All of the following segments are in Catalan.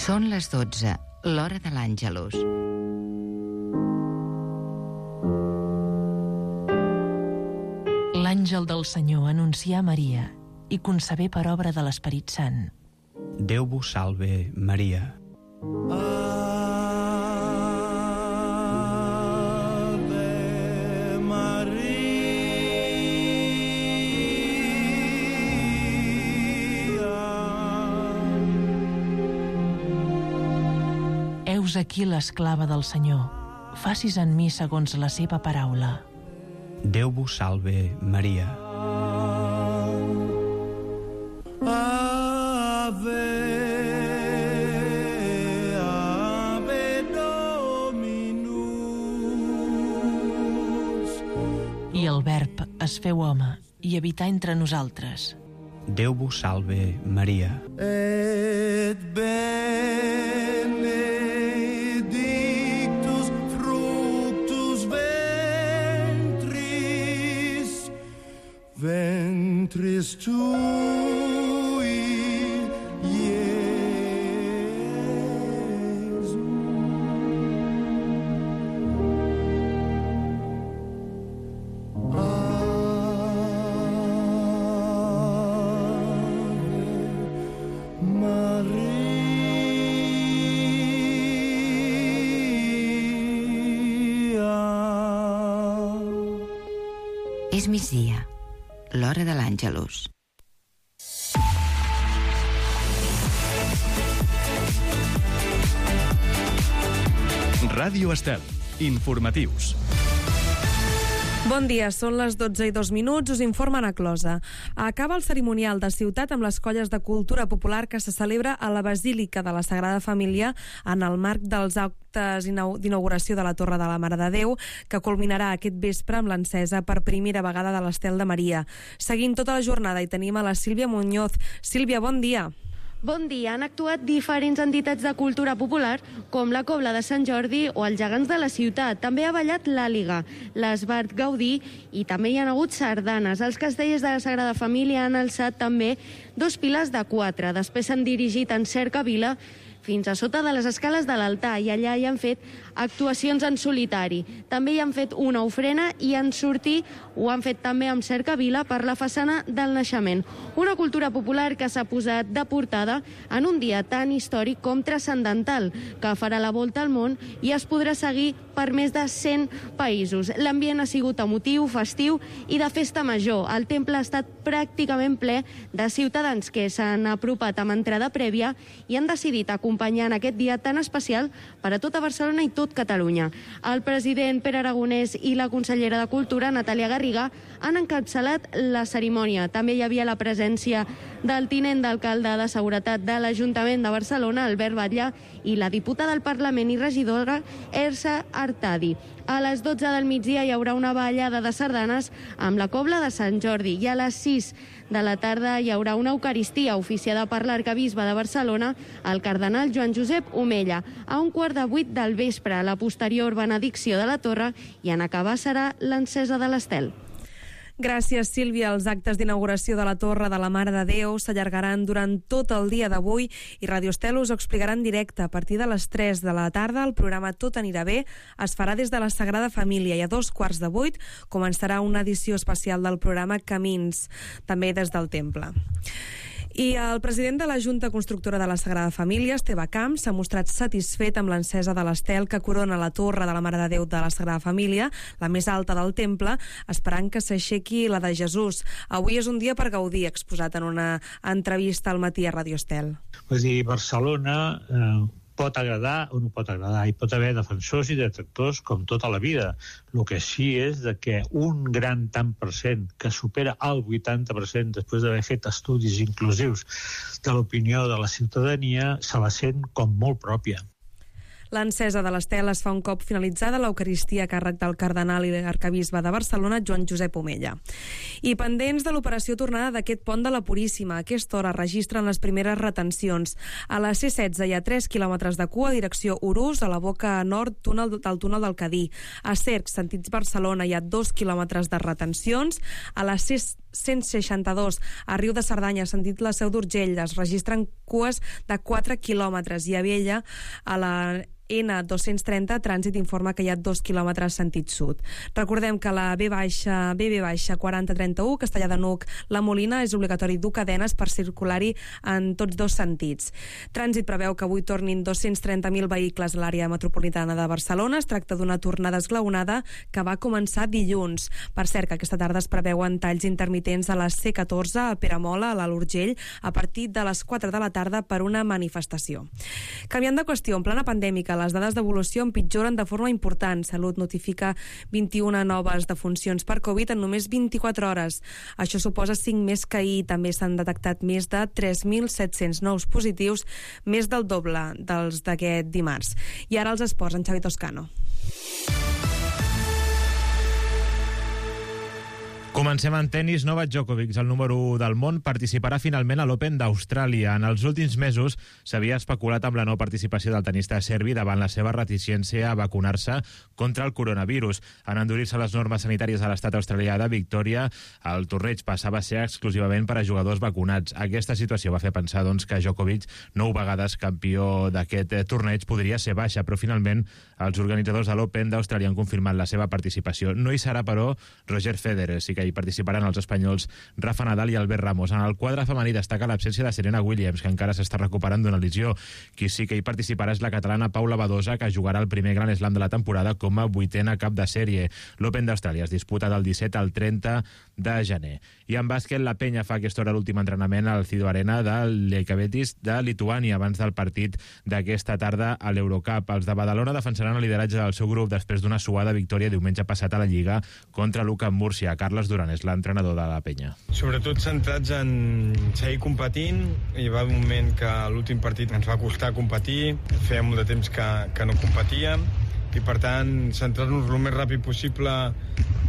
Són les 12, l'hora de l'Àngelus. L'àngel del Senyor anuncià a Maria i concebé per obra de l'Esperit Sant. Déu vos salve, Maria. Heus aquí l'esclava del Senyor. Facis en mi segons la seva paraula. Déu vos salve, Maria. Ave, Ave Dominus. I el Verb es feu home i habità entre nosaltres. Déu vos salve, Maria. Et benedictus fructus ventris tui, Iesus. És migdia, l'hora de l'Àngelus. Ràdio Estel, informatius. Bon dia, són les 12:02, us informa Ana Closa. Acaba el cerimonial de Ciutat amb les colles de cultura popular que se celebra a la Basílica de la Sagrada Família en el marc dels actes d'inauguració de la Torre de la Mare de Déu, que culminarà aquest vespre amb l'encesa per primera vegada de l'Estel de Maria. Seguint tota la jornada hi tenim a la Sílvia Muñoz. Sílvia, bon dia. Bon dia. Han actuat diferents entitats de cultura popular com la Cobla de Sant Jordi o els Gegants de la Ciutat. També ha ballat l'Àliga, l'Esbart Gaudí i també hi ha hagut sardanes. Els castellers de la Sagrada Família han alçat també 2 piles de 4. Després s'han dirigit en cercavila fins a sota de les escales de l'altar i allà hi han fet actuacions en solitari. També hi han fet una ofrena i en sortir ho han fet també amb cercavila per la façana del naixement. Una cultura popular que s'ha posat de portada en un dia tan històric com transcendental, que farà la volta al món i es podrà seguir per més de 100 països. L'ambient ha sigut emotiu, festiu i de festa major. El temple ha estat pràcticament ple de ciutadans que s'han apropat amb entrada prèvia i han decidit acompanyar en aquest dia tan especial per a tota Barcelona i tot Catalunya. El president Pere Aragonès i la consellera de Cultura, Natàlia Garriga, han encapçalat la cerimònia. També hi havia la presència del tinent d'alcalde de Seguretat de l'Ajuntament de Barcelona, Albert Batlle, i la diputada del Parlament i regidora Elsa Artadi. A les 12 del migdia hi haurà una ballada de sardanes amb la Cobla de Sant Jordi i a les 6 de la tarda hi haurà una eucaristia oficiada per l'arcabisbe de Barcelona, el cardenal Joan Josep Omella. A 7:15 del vespre, la posterior benedicció de la torre i en acabar serà l'encesa de l'estel. Gràcies, Sílvia. Els actes d'inauguració de la Torre de la Mare de Déu s'allargaran durant tot el dia d'avui i Radio Estel us ho explicarà en directe. A partir de les 3 de la tarda, el programa Tot anirà bé es farà des de la Sagrada Família i a 7:15 començarà una edició especial del programa Camins, també des del temple. I el president de la Junta Constructora de la Sagrada Família, Esteve Camps, s'ha mostrat satisfet amb l'encesa de l'estel que corona la Torre de la Mare de Déu de la Sagrada Família, la més alta del temple, esperant que s'aixequi la de Jesús. Avui és un dia per gaudir, exposat en una entrevista al matí a Radio Estel. Vull dir, Barcelona pot agradar o no pot agradar. Hi pot haver defensors i detractors com tota la vida. El que sí és de que un gran tant per cent, que supera el 80% després d'haver fet estudis inclusius de l'opinió de la ciutadania, se la sent com molt pròpia. L'encesa de l'estel es fa un cop finalitzada l'Eucaristia a càrrec del cardenal i l'arcabisbe de Barcelona, Joan Josep Omella. I pendents de l'operació tornada d'aquest pont de la Puríssima, a aquesta hora registren les primeres retencions. A la C16 hi ha 3 quilòmetres de cua, direcció Urús, a la boca nord del túnel del Cadí. A Cercs, sentits Barcelona, hi ha 2 quilòmetres de retencions. A la C162, a Riu de Cerdanya, sentit la Seu d'Urgell, es registren cues de 4 quilòmetres. I a Viella, a la N230, trànsit informa que hi ha 2 quilòmetres sentit sud. Recordem que la BB4031, Castellar de n'Hug, la Molina, és obligatori dur cadenes per circular-hi en tots dos sentits. Trànsit preveu que avui tornin 230.000 vehicles a l'àrea metropolitana de Barcelona. Es tracta d'una tornada esglaonada que va començar dilluns. Per cert, que aquesta tarda es preveuen talls intermitents a la C14 a Peramola, a l'Alt Urgell, a partir de les 4 de la tarda per una manifestació. Canviant de qüestió, en plena pandèmica, les dades d'evolució empitjoren de forma important. Salut notifica 21 noves defuncions per Covid en només 24 hores. Això suposa 5 més que ahir. També s'han detectat més de 3.700 nous positius, més del doble dels d'aquest dimarts. I ara els esports, en Xavi Toscano. Comencem en tennis. Novak Djokovic, el número 1 del món, participarà finalment a l'Open d'Austràlia. En els últims mesos s'havia especulat amb la no participació del tenista serbi davant la seva reticència a vacunar-se contra el coronavirus. En endurir-se les normes sanitàries a l'estat australià de Victòria, el torneig passava a ser exclusivament per a jugadors vacunats. Aquesta situació va fer pensar doncs, que Djokovic, 9 vegades campió d'aquest torneig, podria ser baixa, però finalment els organitzadors de l'Open d'Austràlia han confirmat la seva participació. No hi serà, però, Roger Federer. Sí que hi participaran els espanyols Rafa Nadal i Albert Ramos. En el quadre femení destaca l'absència de Serena Williams, que encara s'està recuperant d'una lesió. Qui sí que hi participarà és la catalana Paula Badosa, que jugarà el primer Grand Slam de la temporada com a 8a cap de sèrie. L'Open d'Austràlia es disputa del 17 al 30 de gener. I en bàsquet, la Penya fa aquesta hora l'últim entrenament al Cido Arena de l'Ekabetis de Lituània abans del partit d'aquesta tarda a l'Eurocup. Els de Badalona defensaran el lideratge del seu grup després d'una suada victòria diumenge passat a la Lliga contra l'UCAM Múrcia. Carles Duran és l'entrenador de la Penya. Sobretot centrats en seguir competint. Hi va un moment que l'últim partit ens va costar competir, feia molt de temps que no competíem, i per tant centrar-nos el més ràpid possible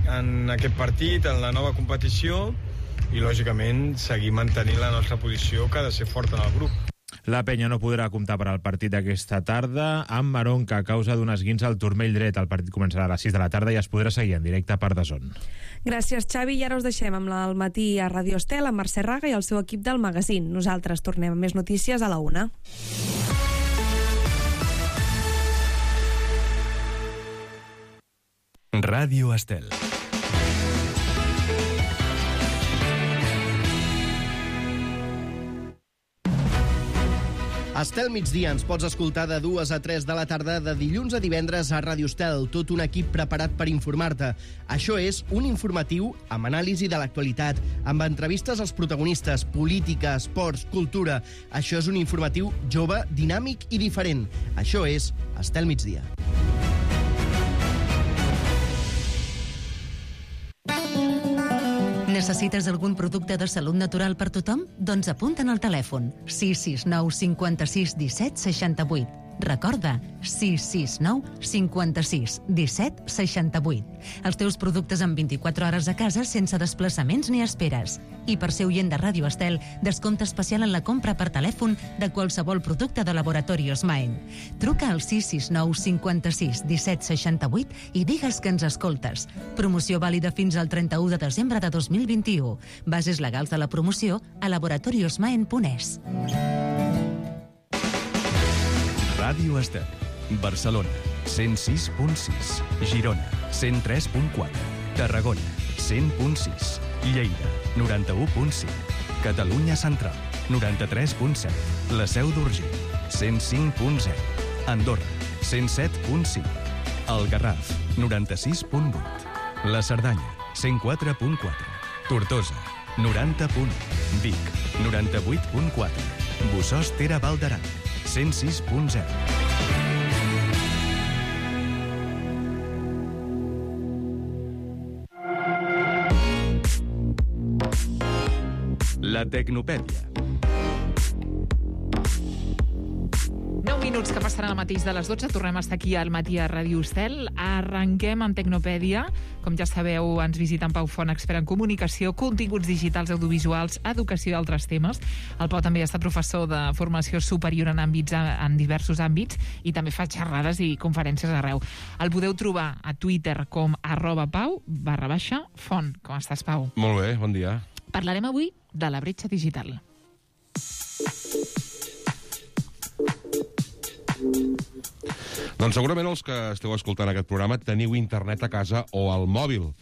en aquest partit, en la nova competició, i lògicament seguir mantenint la nostra posició, que ha de ser forta en el grup. La Penya no podrà comptar per al partit d'aquesta tarda amb Maronca a causa d'un esguinç al turmell dret. El partit començarà a les 6 de la tarda i es podrà seguir en directe per DAZN. Gràcies, Xavi. I ara us deixem amb el matí a Radio Estel, amb Mercè Raga i el seu equip del magazín. Nosaltres tornem amb més notícies a la 1. Ràdio Estel. Estel migdia ens pots escoltar de 2 a 3 de la tarda de dilluns a divendres a Ràdio Estel, tot un equip preparat per informar-te. Això és un informatiu amb anàlisi de l'actualitat, amb entrevistes als protagonistes, política, esports, cultura. Això és un informatiu jove, dinàmic i diferent. Això és Estel migdia. Necessites algun producte de salut natural per tothom? Doncs apunta'n al telèfon 669 56 17 68. Recorda, 669 56 17 68. Els teus productes en 24 hores a casa sense desplaçaments ni esperes. I per ser oient de Ràdio Estel, descompte especial en la compra per telèfon de qualsevol producte de Laboratorios Maen. Truca al 669 56 17 68 i digues que ens escoltes. Promoció vàlida fins al 31 de desembre de 2021. Bases legals de la promoció a laboratoriosmaen.es. Ràdio Estel. Barcelona, 106.6. Girona, 103.4. Tarragona, 100.6. Lleida, 91.5. Catalunya Central, 93.7. La Seu d'Urgell, 105.0. Andorra, 107.5. El Garraf, 96.8. La Cerdanya, 104.4. Tortosa, 90.1. Vic, 98.4. Bossòst-Tere Val d'Aran, 106.0. La Tecnopèdia. 9 minuts que passaran al mateix de les 12. Tornem a estar aquí al matí a Ràdio Estel. Arrenquem amb Tecnopèdia. Com ja sabeu, ens visita en Pau Font, expert en comunicació, continguts digitals, audiovisuals, educació i altres temes. El Pau també ha estat professor de formació superior en diversos àmbits i també fa xerrades i conferències arreu. El podeu trobar a Twitter com @pau_font. Com estàs, Pau? Molt bé, bon dia. Parlarem avui de la bretxa digital. Doncs segurament els que esteu escoltant aquest programa teniu internet a casa o al mòbil,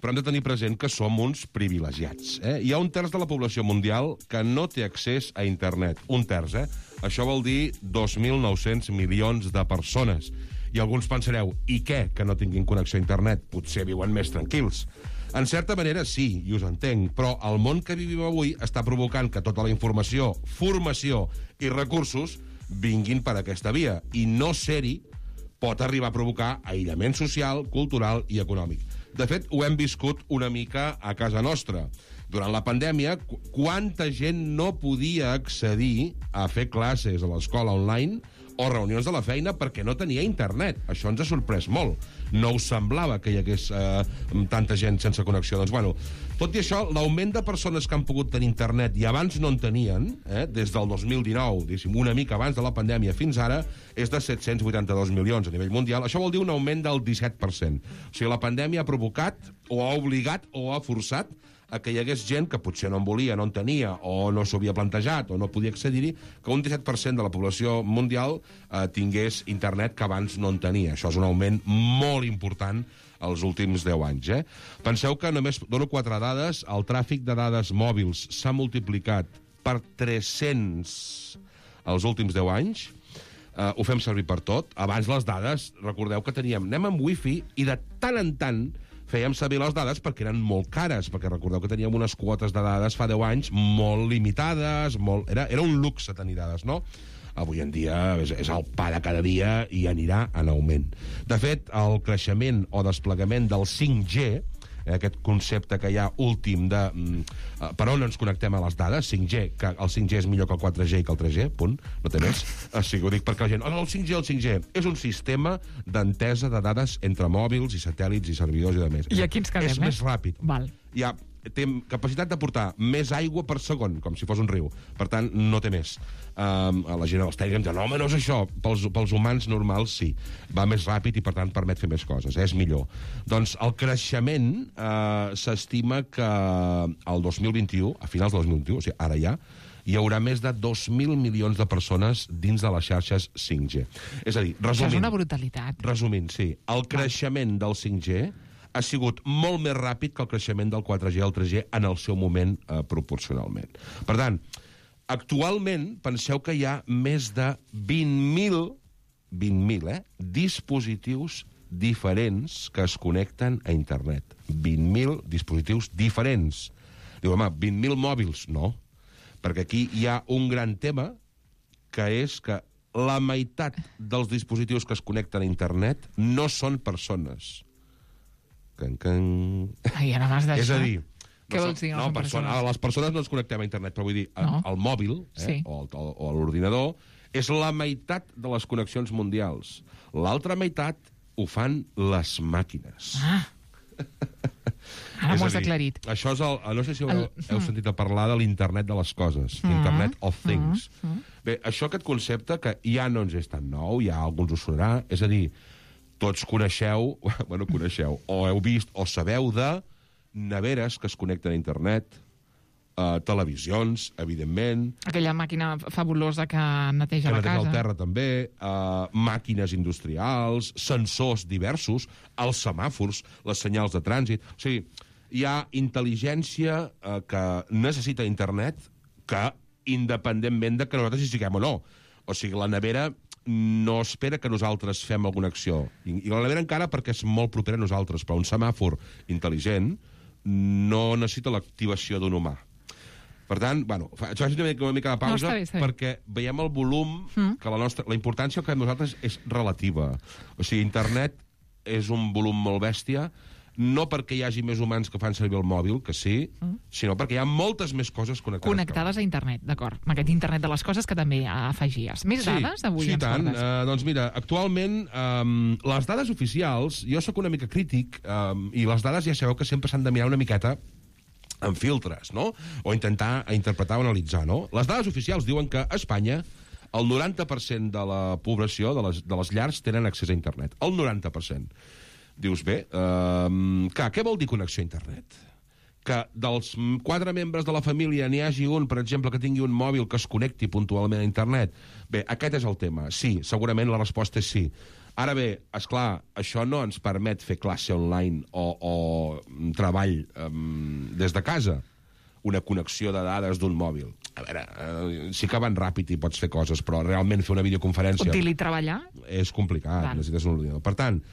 però hem de tenir present que som uns privilegiats. Hi ha un terç de la població mundial que no té accés a internet. Un terç, Això vol dir 2.900 milions de persones. I alguns pensareu, i què, que no tinguin connexió a internet? Potser viuen més tranquils. En certa manera sí, i us entenc, però el món que vivim avui està provocant que tota la informació, formació i recursos vinguin per aquesta via, i no ser-hi pot arribar a provocar aïllament social, cultural i econòmic. De fet, ho hem viscut una mica a casa nostra. Durant la pandèmia, quanta gent no podia accedir a fer classes a l'escola online o reunions de la feina perquè no tenia internet. Això ens ha sorprès molt. No us semblava que hi hagués tanta gent sense connexió. Doncs, bueno, tot i això, l'augment de persones que han pogut tenir internet i abans no en tenien, des del 2019, diguéssim, una mica abans de la pandèmia fins ara, és de 782 milions a nivell mundial. Això vol dir un augment del 17%. O sigui, la pandèmia ha provocat, o ha obligat, o ha forçat a que hi hagués gent que potser no en volia, no en tenia, o no s'ho havia plantejat, o no podia accedir-hi, que un 17% de la població mundial tingués internet que abans no en tenia. Això és un augment molt important els últims 10 anys. Penseu que només dono 4 dades. El tràfic de dades mòbils s'ha multiplicat per 300 els últims 10 anys. Ho fem servir per tot. Abans les dades, recordeu que anem amb wifi i de tant en tant fèiem servir les dades perquè eren molt cares, perquè recordeu que teníem unes quotes de dades fa 10 anys molt limitades, era un luxe tenir dades, no? Avui en dia és el pa de cada dia i anirà en augment. De fet, el creixement o desplegament del 5G, aquest concepte que hi ha últim de per on ens connectem a les dades, 5G, que el 5G és millor que el 4G i que el 3G, punt, no té més. Sí, ho dic perquè la gent, el 5G és un sistema d'entesa de dades entre mòbils i satèl·lits i servidors i de més. I aquí ens quedem, És més ràpid. Val. Té capacitat de portar més aigua per segon, com si fos un riu. Per tant, no té més. La gent dels tècnics diuen, no, home, no és això. Pels humans normals, sí. Va més ràpid i, per tant, permet fer més coses. És millor. Doncs el creixement s'estima que el 2021, a finals del 2021, o sigui, ara ja, hi haurà més de 2.000 milions de persones dins de les xarxes 5G. És a dir, resumint... Això és una brutalitat. Resumint, sí. El creixement del 5G ha sigut molt més ràpid que el creixement del 4G i el 3G en el seu moment proporcionalment. Per tant, actualment penseu que hi ha més de 20.000 dispositius diferents que es connecten a internet. 20.000 dispositius diferents. Diu, home, 20.000 mòbils? No, perquè aquí hi ha un gran tema que és que la meitat dels dispositius que es connecten a internet no són persones. Ai, ara m'has deixat. És a dir, què vols dir? les persones no ens connectem a internet, però vull dir, el mòbil o l'ordinador és la meitat de les connexions mundials. L'altra meitat ho fan les màquines. Ara m'ho has aclarit. Això és no sé si heu sentit a parlar de l'internet de les coses, Internet of Things. Bé, aquest concepte, que ja no ens és tan nou, ja alguns ho sonarà, és a dir, tots coneixeu, o heu vist o sabeu de neveres que es connecten a internet, televisions, evidentment... Aquella màquina fabulosa que neteja la casa. Que neteja el terra, també, màquines industrials, sensors diversos, els semàfors, les senyals de trànsit... O sigui, hi ha intel·ligència que necessita internet que, independentment de que nosaltres hi siguem o no. O sigui, la nevera no espera que nosaltres fem alguna acció. I la nevera encara perquè és molt propera a nosaltres, però un semàfor intel·ligent no necessita l'activació d'un humà. Per tant, bueno, faig una mica de pausa perquè veiem el volum, que la importància que nosaltres és relativa. O sigui, internet és un volum molt bèstia, no perquè hi hagi més humans que fan servir el mòbil, que sí, sinó perquè hi ha moltes més coses connectades a internet, d'acord. Amb aquest internet de les coses que també afegies. Més dades avui ens tant. portes? Doncs mira, actualment les dades oficials, jo sóc una mica crític, i les dades ja sabeu que sempre s'han de mirar una miqueta amb filtres, no? O intentar interpretar o analitzar, no? Les dades oficials diuen que a Espanya el 90% de la població, de les llars, tenen accés a internet. El 90%. Dius, bé, clar, què vol dir connexió a internet? Que dels 4 membres de la família n'hi hagi un, per exemple, que tingui un mòbil que es connecti puntualment a internet? Bé, aquest és el tema. Sí, segurament la resposta és sí. Ara bé, esclar, això no ens permet fer classe online o treball des de casa. Una connexió de dades d'un mòbil. A veure, sí que van ràpid i pots fer coses, però realment fer una videoconferència... Teletreballar? És complicat, necessites un ordinador. Per tant,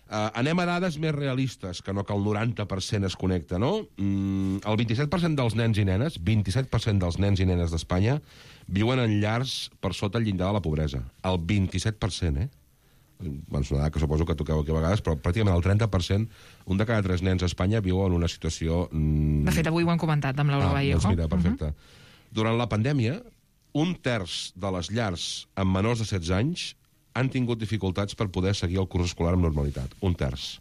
anem a dades més realistes, que no que el 90% es connecta, no? El 27% dels nens i nenes, 27% dels nens i nenes d'Espanya, viuen en llars per sota el llindar de la pobresa. El 27%, Bueno, és una dada que suposo que toqueu aquí a vegades, però pràcticament el 30%, un de cada 3 nens a Espanya viu en una situació... De fet, avui ho hem comentat amb Laura Vallejo. Doncs mira, perfecte. Durant la pandèmia, 1/3 de les llars amb menors de 16 anys han tingut dificultats per poder seguir el curs escolar amb normalitat. 1/3.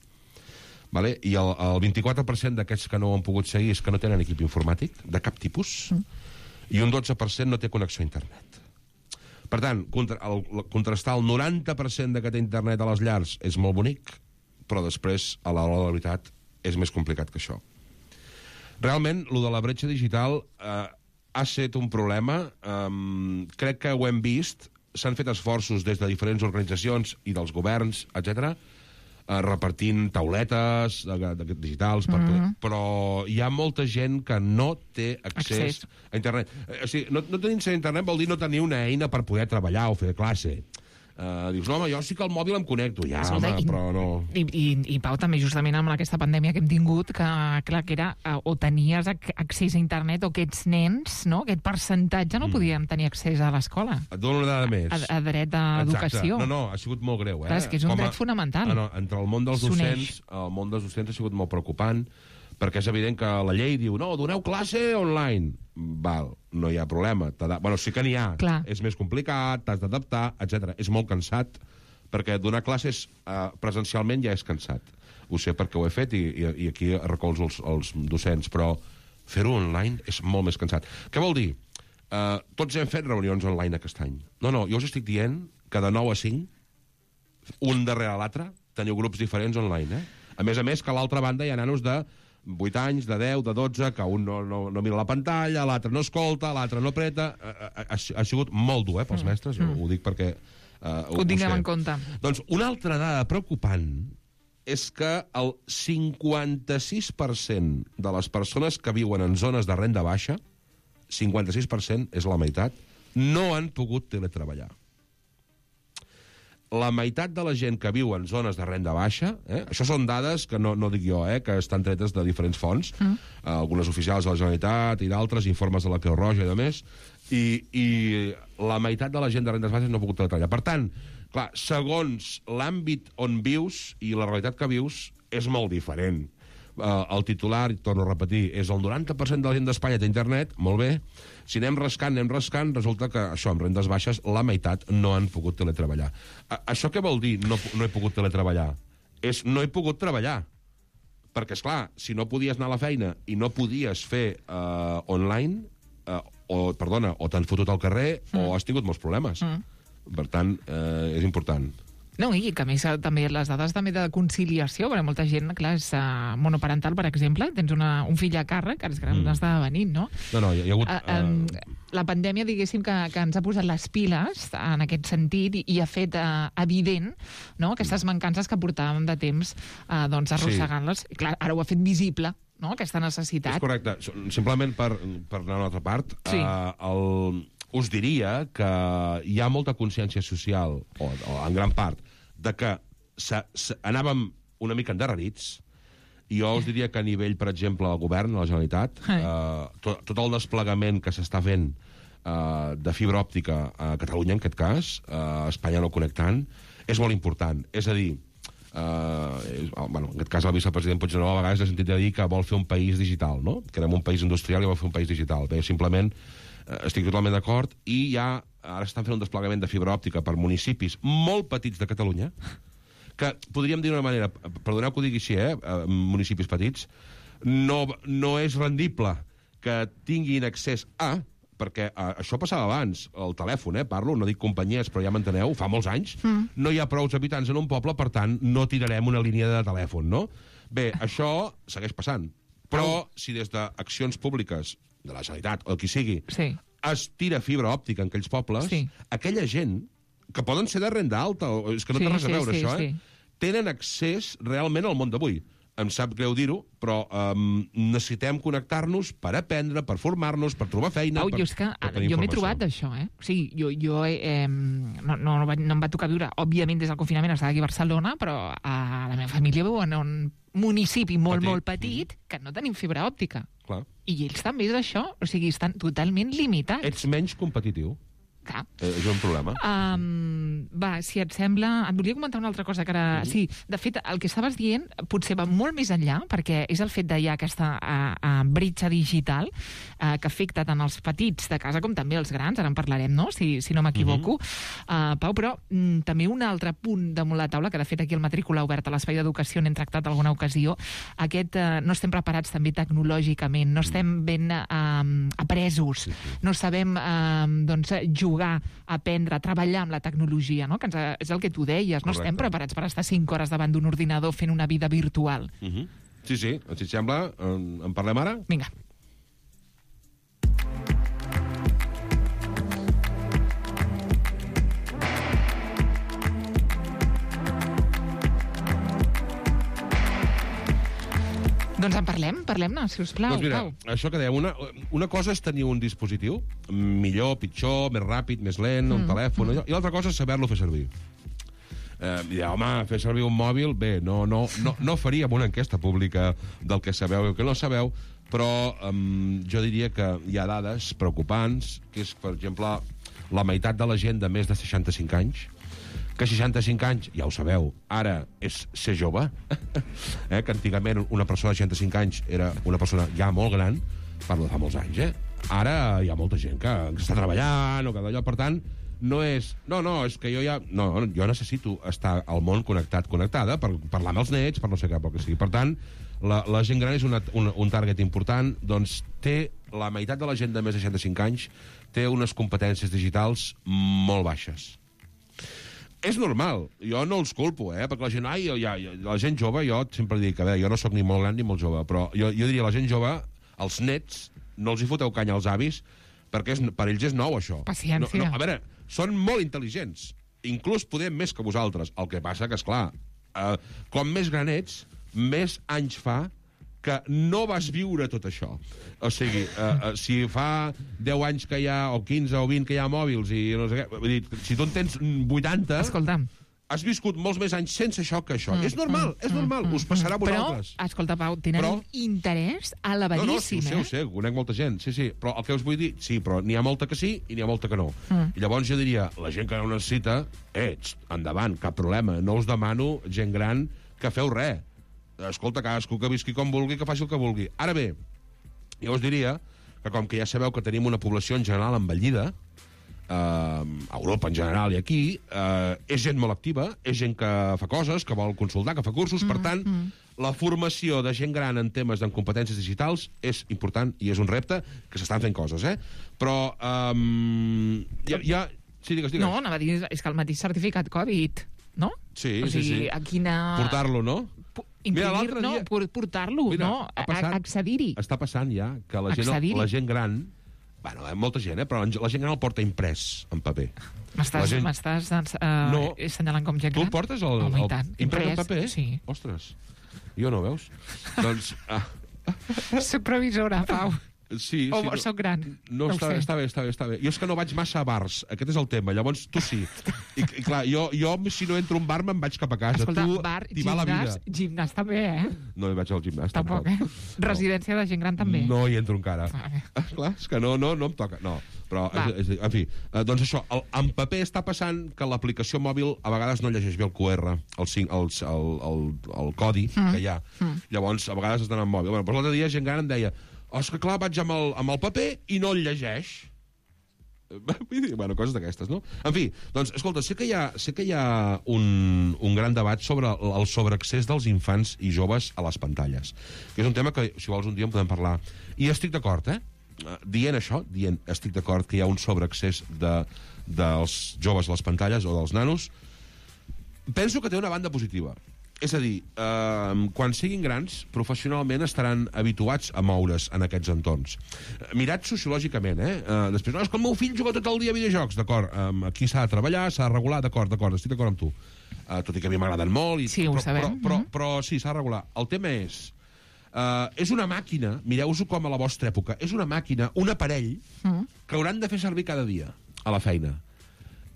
Vale? I el 24% d'aquests que no ho han pogut seguir és que no tenen equip informàtic, de cap tipus, i un 12% no té connexió a internet. Per tant, contrastar el 90% de que té internet a les llars és molt bonic, però després, a l'hora de la veritat, és més complicat que això. Realment, lo de la bretxa digital ha estat un problema. Crec que ho hem vist. S'han fet esforços des de diferents organitzacions i dels governs, etc., repartint tauletes digitals, però hi ha molta gent que no té accés a internet. O sigui, no tenir accés a internet vol dir no tenir una eina per poder treballar o fer classe. Dius, no, home, jo sí que al mòbil em connecto. Ja, home, però no... I Pau, també justament amb aquesta pandèmia que hem tingut, que clar, que era o tenies accés a internet o aquests nens, no? Aquest percentatge no podien tenir accés a l'escola. Et dono una dada més. A dret d'educació. No, ha sigut molt greu. Clar, és que és un dret fonamental. Entre el món dels docents, ha sigut molt preocupant, perquè és evident que la llei diu, no, doneu classe online. Val, no hi ha problema. Bueno, sí que n'hi ha. Clar. És més complicat, t'has d'adaptar, etc. És molt cansat, perquè donar classes presencialment ja és cansat. Ho sé perquè ho he fet i aquí recolzo els docents, però fer-ho online és molt més cansat. Què vol dir? Tots hem fet reunions online aquest any. No, jo us estic dient que de 9 a 5, un darrere l'altre, teniu grups diferents online. A més, que a l'altra banda hi ha nanos de 8 anys, de 10, de 12, que un no mira la pantalla, l'altre no escolta, l'altre no apreta. Ha sigut molt dur, pels mestres, jo ho dic perquè... Ho tinguem en compte. Doncs una altra dada preocupant és que el 56% de les persones que viuen en zones de renda baixa, 56% és la meitat, no han pogut teletreballar. La meitat de la gent que viu en zones de renda baixa, això són dades que no dic jo, que estan tretes de diferents fonts, algunes oficials de la Generalitat i d'altres, informes de la Creu Roja i demés, i la meitat de la gent de rendes baixes no ha pogut treballar. Per tant, clar, segons l'àmbit on vius i la realitat que vius, és molt diferent. El titular, i torno a repetir, és el 90% de la gent d'Espanya té internet, molt bé. Si anem rascant, resulta que això, amb rendes baixes, la meitat no han pogut teletreballar. Això què vol dir, no he pogut teletreballar? És no he pogut treballar. Perquè, esclar, si no podies anar a la feina i no podies fer online, o t'han fotut al carrer, o has tingut molts problemes. Per tant, és important. No, i que a més també les dades també de conciliació, perquè molta gent, clar, és monoparental, per exemple, tens un fill a càrrec, ara és que n'està venint, no? No, hi ha hagut... La pandèmia, diguéssim, que ens ha posat les piles en aquest sentit i ha fet evident, no?, aquestes mancances que portàvem de temps arrossegant-les. Sí. Clar, ara ho ha fet visible, no?, aquesta necessitat. És correcte. Simplement per anar a una altra part, sí. Us diria que hi ha molta consciència social, o en gran part, de que anàvem una mica endarrerits, i jo us diria que a nivell, per exemple, del govern, de la Generalitat, tot el desplegament que s'està fent de fibra òptica a Catalunya, en aquest cas, a Espanya no connectant, és molt important. És a dir, en aquest cas el vicepresident Puigneró a vegades ha sentit a dir que vol fer un país digital, no? Que érem un país industrial i vol fer un país digital. Bé, simplement estic totalment d'acord i ja ara estan fent un desplegament de fibra òptica per municipis molt petits de Catalunya, que podríem dir d'una manera, perdoneu que ho digui així, municipis petits, no és rendible que tinguin accés a, perquè això passava abans, el telèfon, parlo, no dic companyies, però ja m'enteneu, fa molts anys, no hi ha prous habitants en un poble, per tant, no tirarem una línia de telèfon, no? Bé, això segueix passant, però si des d'accions públiques, de la Generalitat, o el qui sigui, es tira fibra òptica en aquells pobles, aquella gent, que poden ser de renda alta, és que no té res a veure això, tenen accés realment al món d'avui. Em sap greu dir-ho, però necessitem connectar-nos per aprendre, per formar-nos, per trobar feina, per tenir informació. Jo m'he trobat d'això, O sigui, jo no em va tocar viure, òbviament, des del confinament estava aquí a Barcelona, però a la meva família viu en un municipi molt petit que no tenim fibra òptica. Clar. I ells també és això, o sigui, estan totalment limitats. Ets menys competitiu. Clar. És un problema. Va, si et sembla... Et volia comentar una altra cosa que ara... Sí, de fet, el que estaves dient potser va molt més enllà, perquè és el fet de ja aquesta bretxa digital que afecta tant els petits de casa com també els grans, ara en parlarem, no?, si no m'equivoco. Pau, però també un altre punt damunt la taula, que de fet aquí el Matrícula Oberta a l'Espai d'Educació n'hem tractat alguna ocasió, no estem preparats també tecnològicament, no estem ben apresos, no sabem jugar, aprendre, treballar amb la tecnologia, no? Que és el que tu deies, no estem preparats per estar 5 hores davant d'un ordinador fent una vida virtual. Sí, si et sembla, en parlem ara? Vinga. Doncs en parlem-ne, si us plau. Doncs mira, Pau. això que dèiem, una cosa és tenir un dispositiu, millor, pitjor, més ràpid, més lent, un telèfon, i l'altra cosa és saber-lo fer servir. Home, fer servir un mòbil, bé, no faríem una enquesta pública del que sabeu i el que no sabeu, però jo diria que hi ha dades preocupants, que és, per exemple, la meitat de la gent de més de 65 anys, que 65 anys, ja ho sabeu, ara és ser jove, que antigament una persona de 65 anys era una persona ja molt gran, parlo de fa molts anys, ara hi ha molta gent que està treballant o que d'allò, per tant, no és... No, és que jo ja... No, jo necessito estar al món connectada, per parlar amb els nets, per no sé què, pel que sigui. Per tant, la gent gran és un target important, doncs té la meitat de la gent de més de 65 anys té unes competències digitals molt baixes. És normal, jo no els culpo, perquè la gent, la gent jove, jo sempre dic, a veure, jo no sóc ni molt gran ni molt jove, però jo diria, la gent jove, els nets, no els hi foteu canya als avis, perquè per ells és nou, això. Paciència. A veure, són molt intel·ligents, inclús podem més que vosaltres, el que passa que, esclar, com més gran ets, més anys fa que no vas viure tot això. O sigui, si fa 10 anys que hi ha, o 15 o 20 que hi ha mòbils, i no sé què, vull dir, si tu en tens 80... Escolta'm. Has viscut molts més anys sense això que això. És normal, us passarà a vosaltres. Però, escolta, Pau, tenen un interès elevadíssim, No, ho sé, conec molta gent, sí, però el que us vull dir, sí, però n'hi ha molta que sí i n'hi ha molta que no. I llavors jo diria, la gent que no necessita, endavant, cap problema, no us demano, gent gran, que feu res. Escolta, cadascú que visqui com vulgui, que faci el que vulgui. Ara bé, jo us diria que com que ja sabeu que tenim una població en general envellida, a Europa en general i aquí, és gent molt activa, és gent que fa coses, que vol consultar, que fa cursos, per tant, la formació de gent gran en temes de competències digitals és important i és un repte que s'estan fent coses, Però Sí, digues. No, anava a dir, és que el mateix certificat Covid, no? Sí, o sigui, sí. A quina... Portar-lo, no? Imprimir, no, portar-lo, no? Accedir-hi. Està passant ja que la gent gran... Bueno, molta gent, però la gent gran el porta imprès en paper. M'estàs assenyalant com gent gran? Tu el portes imprès en paper? Sí. Ostres, jo no, veus? Doncs... Soc previsora, Pau. Sí, o soc gran? No, està bé. Jo és que no vaig massa a bars, aquest és el tema, llavors tu sí. I clar, jo si no entro a un bar me'n vaig cap a casa. Escolta, tu bar, t'hi va la vida. gimnàs també, No hi vaig al gimnàs. Tampoc, Residència de gent gran també. No hi entro encara. Clar, és que no em toca. No, però, en fi, doncs això, en paper està passant que l'aplicació mòbil a vegades no llegeix bé el QR, el codi que hi ha. Llavors, a vegades estan en mòbil. Bueno, però l'altre dia gent gran em deia és que clar, vaig amb el paper i no el llegeix. Bueno, coses d'aquestes, no? En fi, doncs, escolta, sé que hi ha un gran debat sobre el sobreaccés dels infants i joves a les pantalles, que és un tema que, si vols, un dia en podem parlar. I estic d'acord, dient estic d'acord que hi ha un sobreaccés dels joves a les pantalles o dels nanos. Penso que té una banda positiva. És a dir, quan siguin grans, professionalment estaran habituats a moure's en aquests entorns. Mirat sociològicament, després, no, és que el meu fill juga tot el dia a videojocs, d'acord, aquí s'ha de treballar, s'ha de regular, d'acord, estic d'acord amb tu. Tot i que a mi m'agraden molt. Sí, ho sabem. Però sí, s'ha de regular. El tema és una màquina, mireu-ho com a la vostra època, és una màquina, un aparell, que hauran de fer servir cada dia a la feina.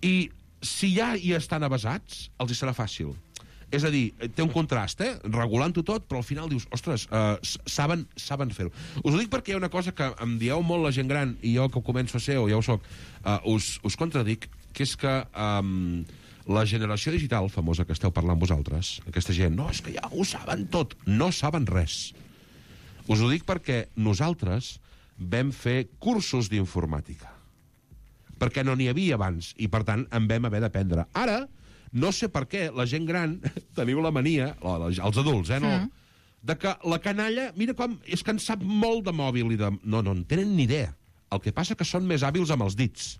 I si ja hi estan avesats, els hi serà fàcil. És a dir, té un contrast, regulant-ho tot, però al final dius, ostres, saben fer-ho. Us ho dic perquè hi ha una cosa que em dieu molt la gent gran, i jo que començo a ser, o ja ho soc, us contradic, que és que la generació digital famosa que esteu parlant vosaltres, aquesta gent, no, és que ja ho saben tot, no saben res. Us ho dic perquè nosaltres vam fer cursos d'informàtica, perquè no n'hi havia abans, i per tant en vam haver d'aprendre. Ara, no sé per què, la gent gran, teniu la mania, els adults, no? De que la canalla, mira com, és que en sap molt de mòbil i de... No en tenen ni idea. El que passa que són més hàbils amb els dits.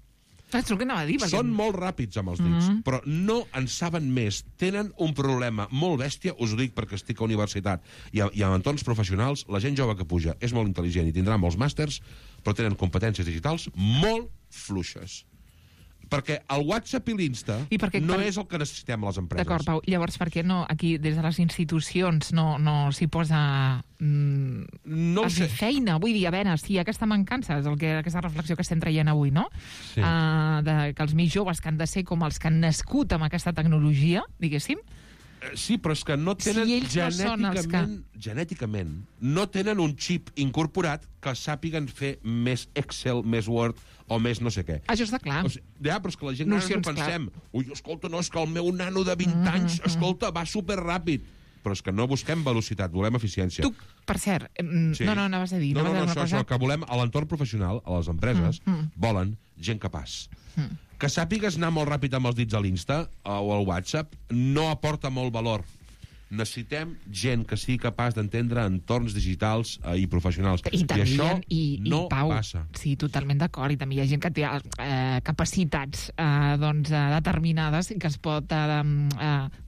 És el que anava a dir. Són molt ràpids amb els dits, però no en saben més. Tenen un problema molt bèstia, us ho dic perquè estic a universitat i en entorns professionals, la gent jove que puja és molt intel·ligent i tindrà molts màsters, però tenen competències digitals molt fluixes. Perquè el WhatsApp i l'Insta no és el que necessitem a les empreses. D'acord, Pau. Llavors, per què no aquí, des de les institucions, no s'hi posa feina? Vull dir, a veure, sí, aquesta mancança és aquesta reflexió que estem traient avui, no? Sí. Que els més joves que han de ser com els que han nascut amb aquesta tecnologia, diguéssim. Sí, però és que no tenen genèticament no tenen un xip incorporat que sàpiguen fer més Excel, més Word o més no sé què. Això està clar. Ja, però és que la gent gran no pensem. Ui, escolta, no, és que el meu nano de 20 anys, escolta, va superràpid. Però és que no busquem velocitat, volem eficiència. Tu, per cert, no, anaves a dir... No, això, que volem a l'entorn professional, a les empreses, volen gent capaç. Que sàpigues anar molt ràpid amb els dits a l'Insta o al WhatsApp no aporta molt valor. Necessitem gent que sigui capaç d'entendre entorns digitals i professionals. I això no passa. Sí, totalment d'acord. I també hi ha gent que té capacitats determinades i que es pot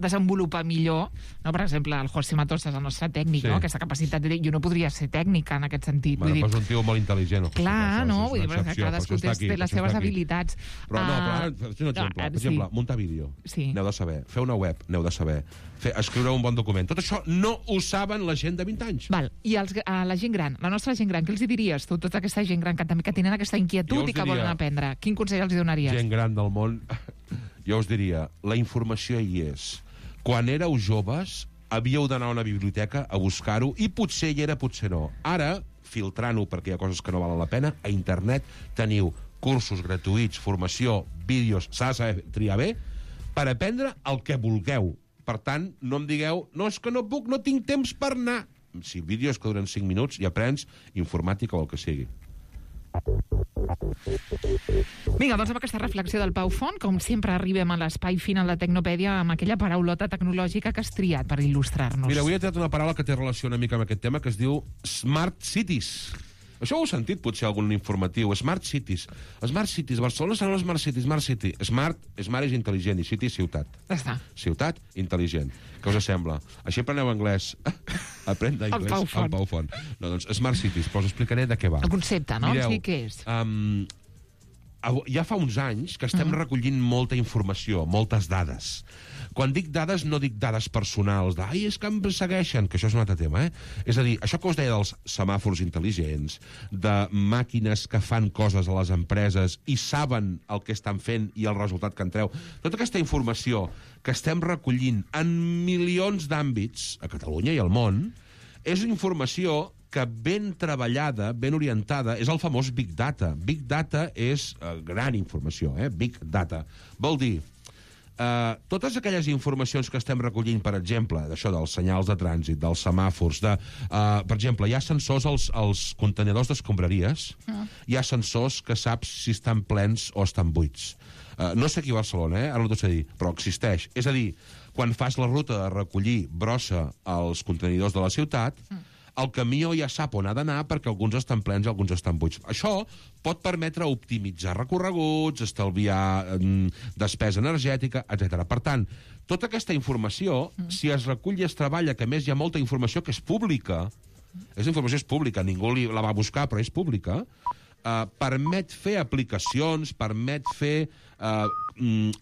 desenvolupar millor. No? Per exemple, el José Matosas, el nostre tècnic, aquesta capacitat de dir, jo no podria ser tècnica en aquest sentit. Però és un tio molt intel·ligent. Clar, no? Vull dir, cadascú té les seves habilitats. Però no, per exemple, muntar vídeo. N'heu de saber. Fer una web, n'heu de saber. Escriure un bon document. Tot això no ho saben la gent de 20 anys. Val. I la gent gran, la nostra gent gran, què els diries tu, tota aquesta gent gran que també que tenen aquesta inquietud i que volen aprendre? Quin consell els donaries? Gent gran del món, jo us diria, la informació hi és. Quan éreu joves, havíeu d'anar a una biblioteca a buscar-ho i potser hi era, potser no. Ara, filtrant-ho perquè hi ha coses que no valen la pena, a internet teniu cursos gratuïts, formació, vídeos, s'ha de saber triar bé, per aprendre el que vulgueu. Per tant, no em digueu, no, és que no puc, no tinc temps per anar. Si vídeos que duren 5 minuts i aprens informàtica o el que sigui. Vinga, doncs amb aquesta reflexió del Pau Font, com sempre arribem a l'espai final de Tecnopèdia amb aquella paraulota tecnològica que has triat per il·lustrar-nos. Mira, avui he tret una paraula que té relació una mica amb aquest tema, que es diu Smart Cities. Això ho heu sentit, potser, algun informatiu. Smart Cities. Smart Cities. Barcelona serà una Smart City. Smart City. Smart és intel·ligent i City és ciutat. Està. Ciutat, intel·ligent. Què us sembla? Així apreneu anglès. Aprèn d'anglès al Pau Font. No, doncs, Smart Cities, però us explicaré de què va. El concepte, no? Mireu, què és? Ja fa uns anys que estem recollint molta informació, moltes dades. Quan dic dades, no dic dades personals, ai, és que em segueixen, que això és un altre tema, És a dir, això que us deia dels semàfors intel·ligents, de màquines que fan coses a les empreses i saben el que estan fent i el resultat que en treu, tota aquesta informació que estem recollint en milions d'àmbits a Catalunya i al món, és informació que ben treballada, ben orientada, és el famós Big Data. Big Data és gran informació, Big Data. Vol dir, totes aquelles informacions que estem recollint, per exemple, d'això dels senyals de trànsit, dels semàfors, per exemple, hi ha sensors als contenidors d'escombraries, hi ha sensors que saps si estan plens o estan buits. No sé aquí a Barcelona, ara no t'ho sé dir, però existeix. És a dir, quan fas la ruta de recollir brossa als contenidors de la ciutat, el camió ja sap on ha d'anar perquè alguns estan plens i alguns estan buits. Això pot permetre optimitzar recorreguts, estalviar despesa energètica, etc. Per tant, tota aquesta informació, si es recull i es treballa, que a més hi ha molta informació que és pública, informació és pública, ningú la va buscar, però és pública, permet fer aplicacions, permet fer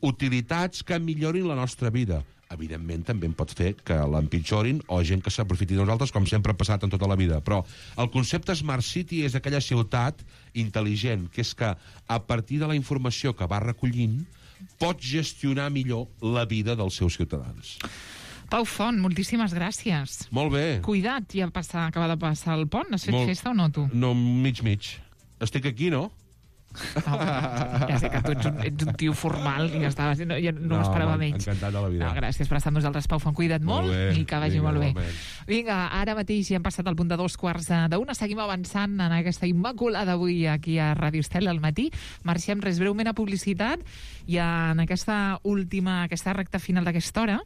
utilitats que millorin la nostra vida. Evidentment, també en pot fer que l'empitjorin o gent que s'aprofiti de nosaltres, com sempre ha passat en tota la vida. Però el concepte Smart City és aquella ciutat intel·ligent, que és que a partir de la informació que va recollint pot gestionar millor la vida dels seus ciutadans. Pau Font, moltíssimes gràcies. Molt bé. Cuida't, ja acaba de passar el pont. Has fet festa o no, tu? No, mig. Estic aquí, no? No, ja sé que tu ets un tio formal i ja no m'esperava menys. Encantat de la vida. Gràcies per estar amb nosaltres, Pau Font. Cuida't molt i que vagi molt bé. Vinga, ara mateix ja hem passat al punt de 2:15. Seguim avançant en aquesta immaculada avui aquí a Ràdio Estel al matí. Marxem res breument a publicitat i en aquesta recta final d'aquesta hora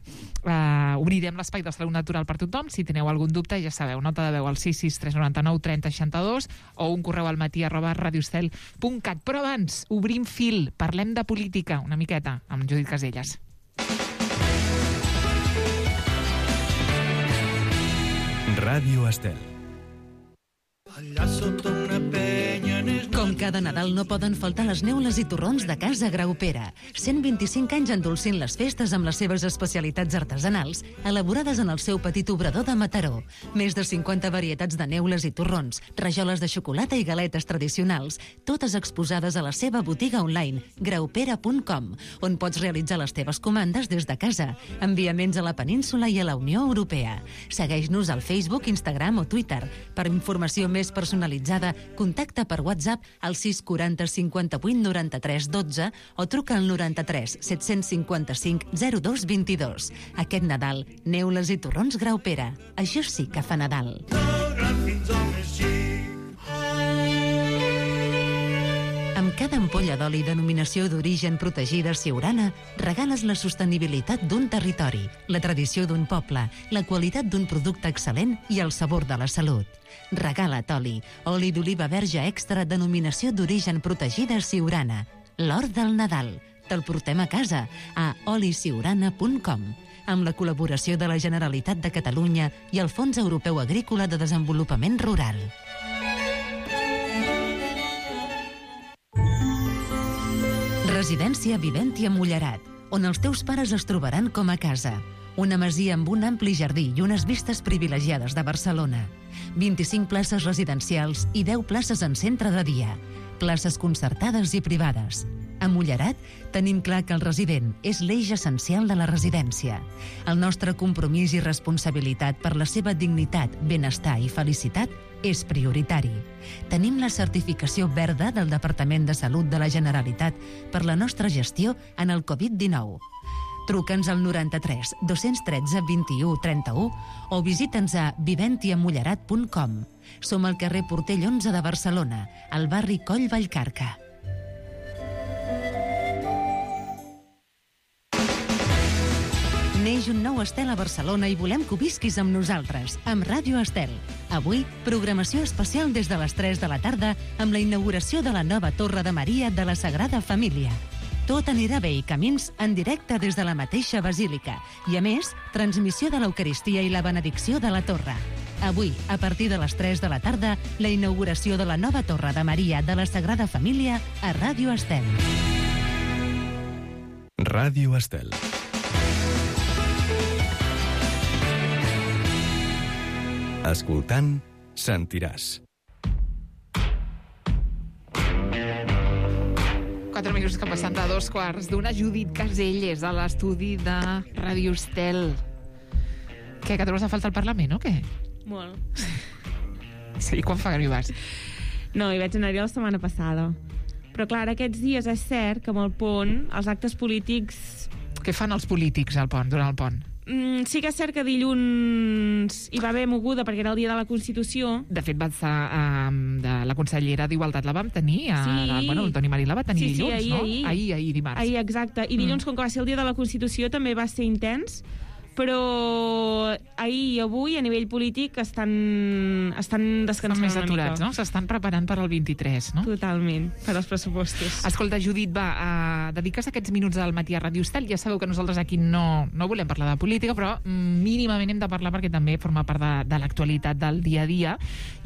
obrirem l'espai de Salut Natural per tothom. Si teniu algun dubte, ja sabeu, nota de veu al 663 399 30 62 o un correu al matí@radioestel.cat. Però abans, obrim fil, parlem de política una miqueta amb Judit Caselles. Ràdio Estel. Allà sota una penya Com cada Nadal no poden faltar les neules i torrons de Casa Graupera. 125 anys endolcint les festes amb les seves especialitats artesanals, elaborades en el seu petit obrador de Mataró. Més de 50 varietats de neules i torrons, rajoles de xocolata i galetes tradicionals, totes exposades a la seva botiga online, graupera.com, on pots realitzar les teves comandes des de casa. Enviaments a la península i a la Unió Europea. Segueix-nos al Facebook, Instagram o Twitter. Per informació més personalitzada, contacta per WhatsApp al 640 58 93 12 o truca al 93 755 02 22. Aquest Nadal, neules i torrons Graupera. Això sí que fa Nadal. Amb cada ampolla d'oli denominació d'origen protegida Siurana, regales la sostenibilitat d'un territori, la tradició d'un poble, la qualitat d'un producte excel·lent i el sabor de la salut. Regala't oli d'oliva verge extra denominació d'origen protegida Siurana. L'or del Nadal. Te'l portem a casa a olisiurana.com, amb la col·laboració de la Generalitat de Catalunya i el Fons Europeu Agrícola de Desenvolupament Rural. Residència Viventia Mullerat, on els teus pares es trobaran com a casa. Una masia amb un ampli jardí i unes vistes privilegiades de Barcelona. 25 places residencials i 10 places en centre de dia. Places concertades i privades. A Mullerat tenim clar que el resident és l'eix essencial de la residència. El nostre compromís i responsabilitat per la seva dignitat, benestar i felicitat és prioritari. Tenim la certificació verda del Departament de Salut de la Generalitat per la nostra gestió en el Covid-19. Truca'ns al 93 213 21 31 o visita'ns a viventiamullerat.com. Som al carrer Portell 11 de Barcelona, al barri Coll Vallcarca. Neix un nou Estel a Barcelona i volem que ho visquis amb nosaltres, amb Ràdio Estel. Avui, programació especial des de les 3 de la tarda amb la inauguració de la nova Torre de Maria de la Sagrada Família. Tot anirà bé i camins en directe des de la mateixa basílica. I a més, transmissió de l'Eucaristia i la benedicció de la torre. Avui, a partir de les 3 de la tarda, la inauguració de la nova Torre de Maria de la Sagrada Família a Ràdio Estel. Ràdio Estel. Escoltant, sentiràs. 4 minuts que passen de 2:15 Judit Caselles a l'estudi de Ràdio Estel. Què, que trobes a falta al Parlament o què? Molt. Sí, quan fa que no hi vas? No, hi vaig anar-hi la setmana passada. Però clar, aquests dies és cert que amb el pont els actes polítics... Què fan els polítics al pont, durant el pont? Sí que és cert que dilluns hi va haver moguda perquè era el dia de la Constitució. De fet, va estar de la consellera d'Igualtat la vam tenir, el Toni Marí la va tenir dilluns, ahir, no? Ahir. Ahir, dimarts. Ahir, exacte. I dilluns, com que va ser el dia de la Constitució, també va ser intens, però ahir i avui a nivell polític estan descansant més una aturats, mica. no? S'estan preparant per al 23, no? Totalment, per als pressupostos. Escolta, Judit, dediques aquests minuts al matí a Ràdio Estel. Ja sabeu que nosaltres aquí no volem parlar de política, però mínimament hem de parlar perquè també forma part de l'actualitat del dia a dia.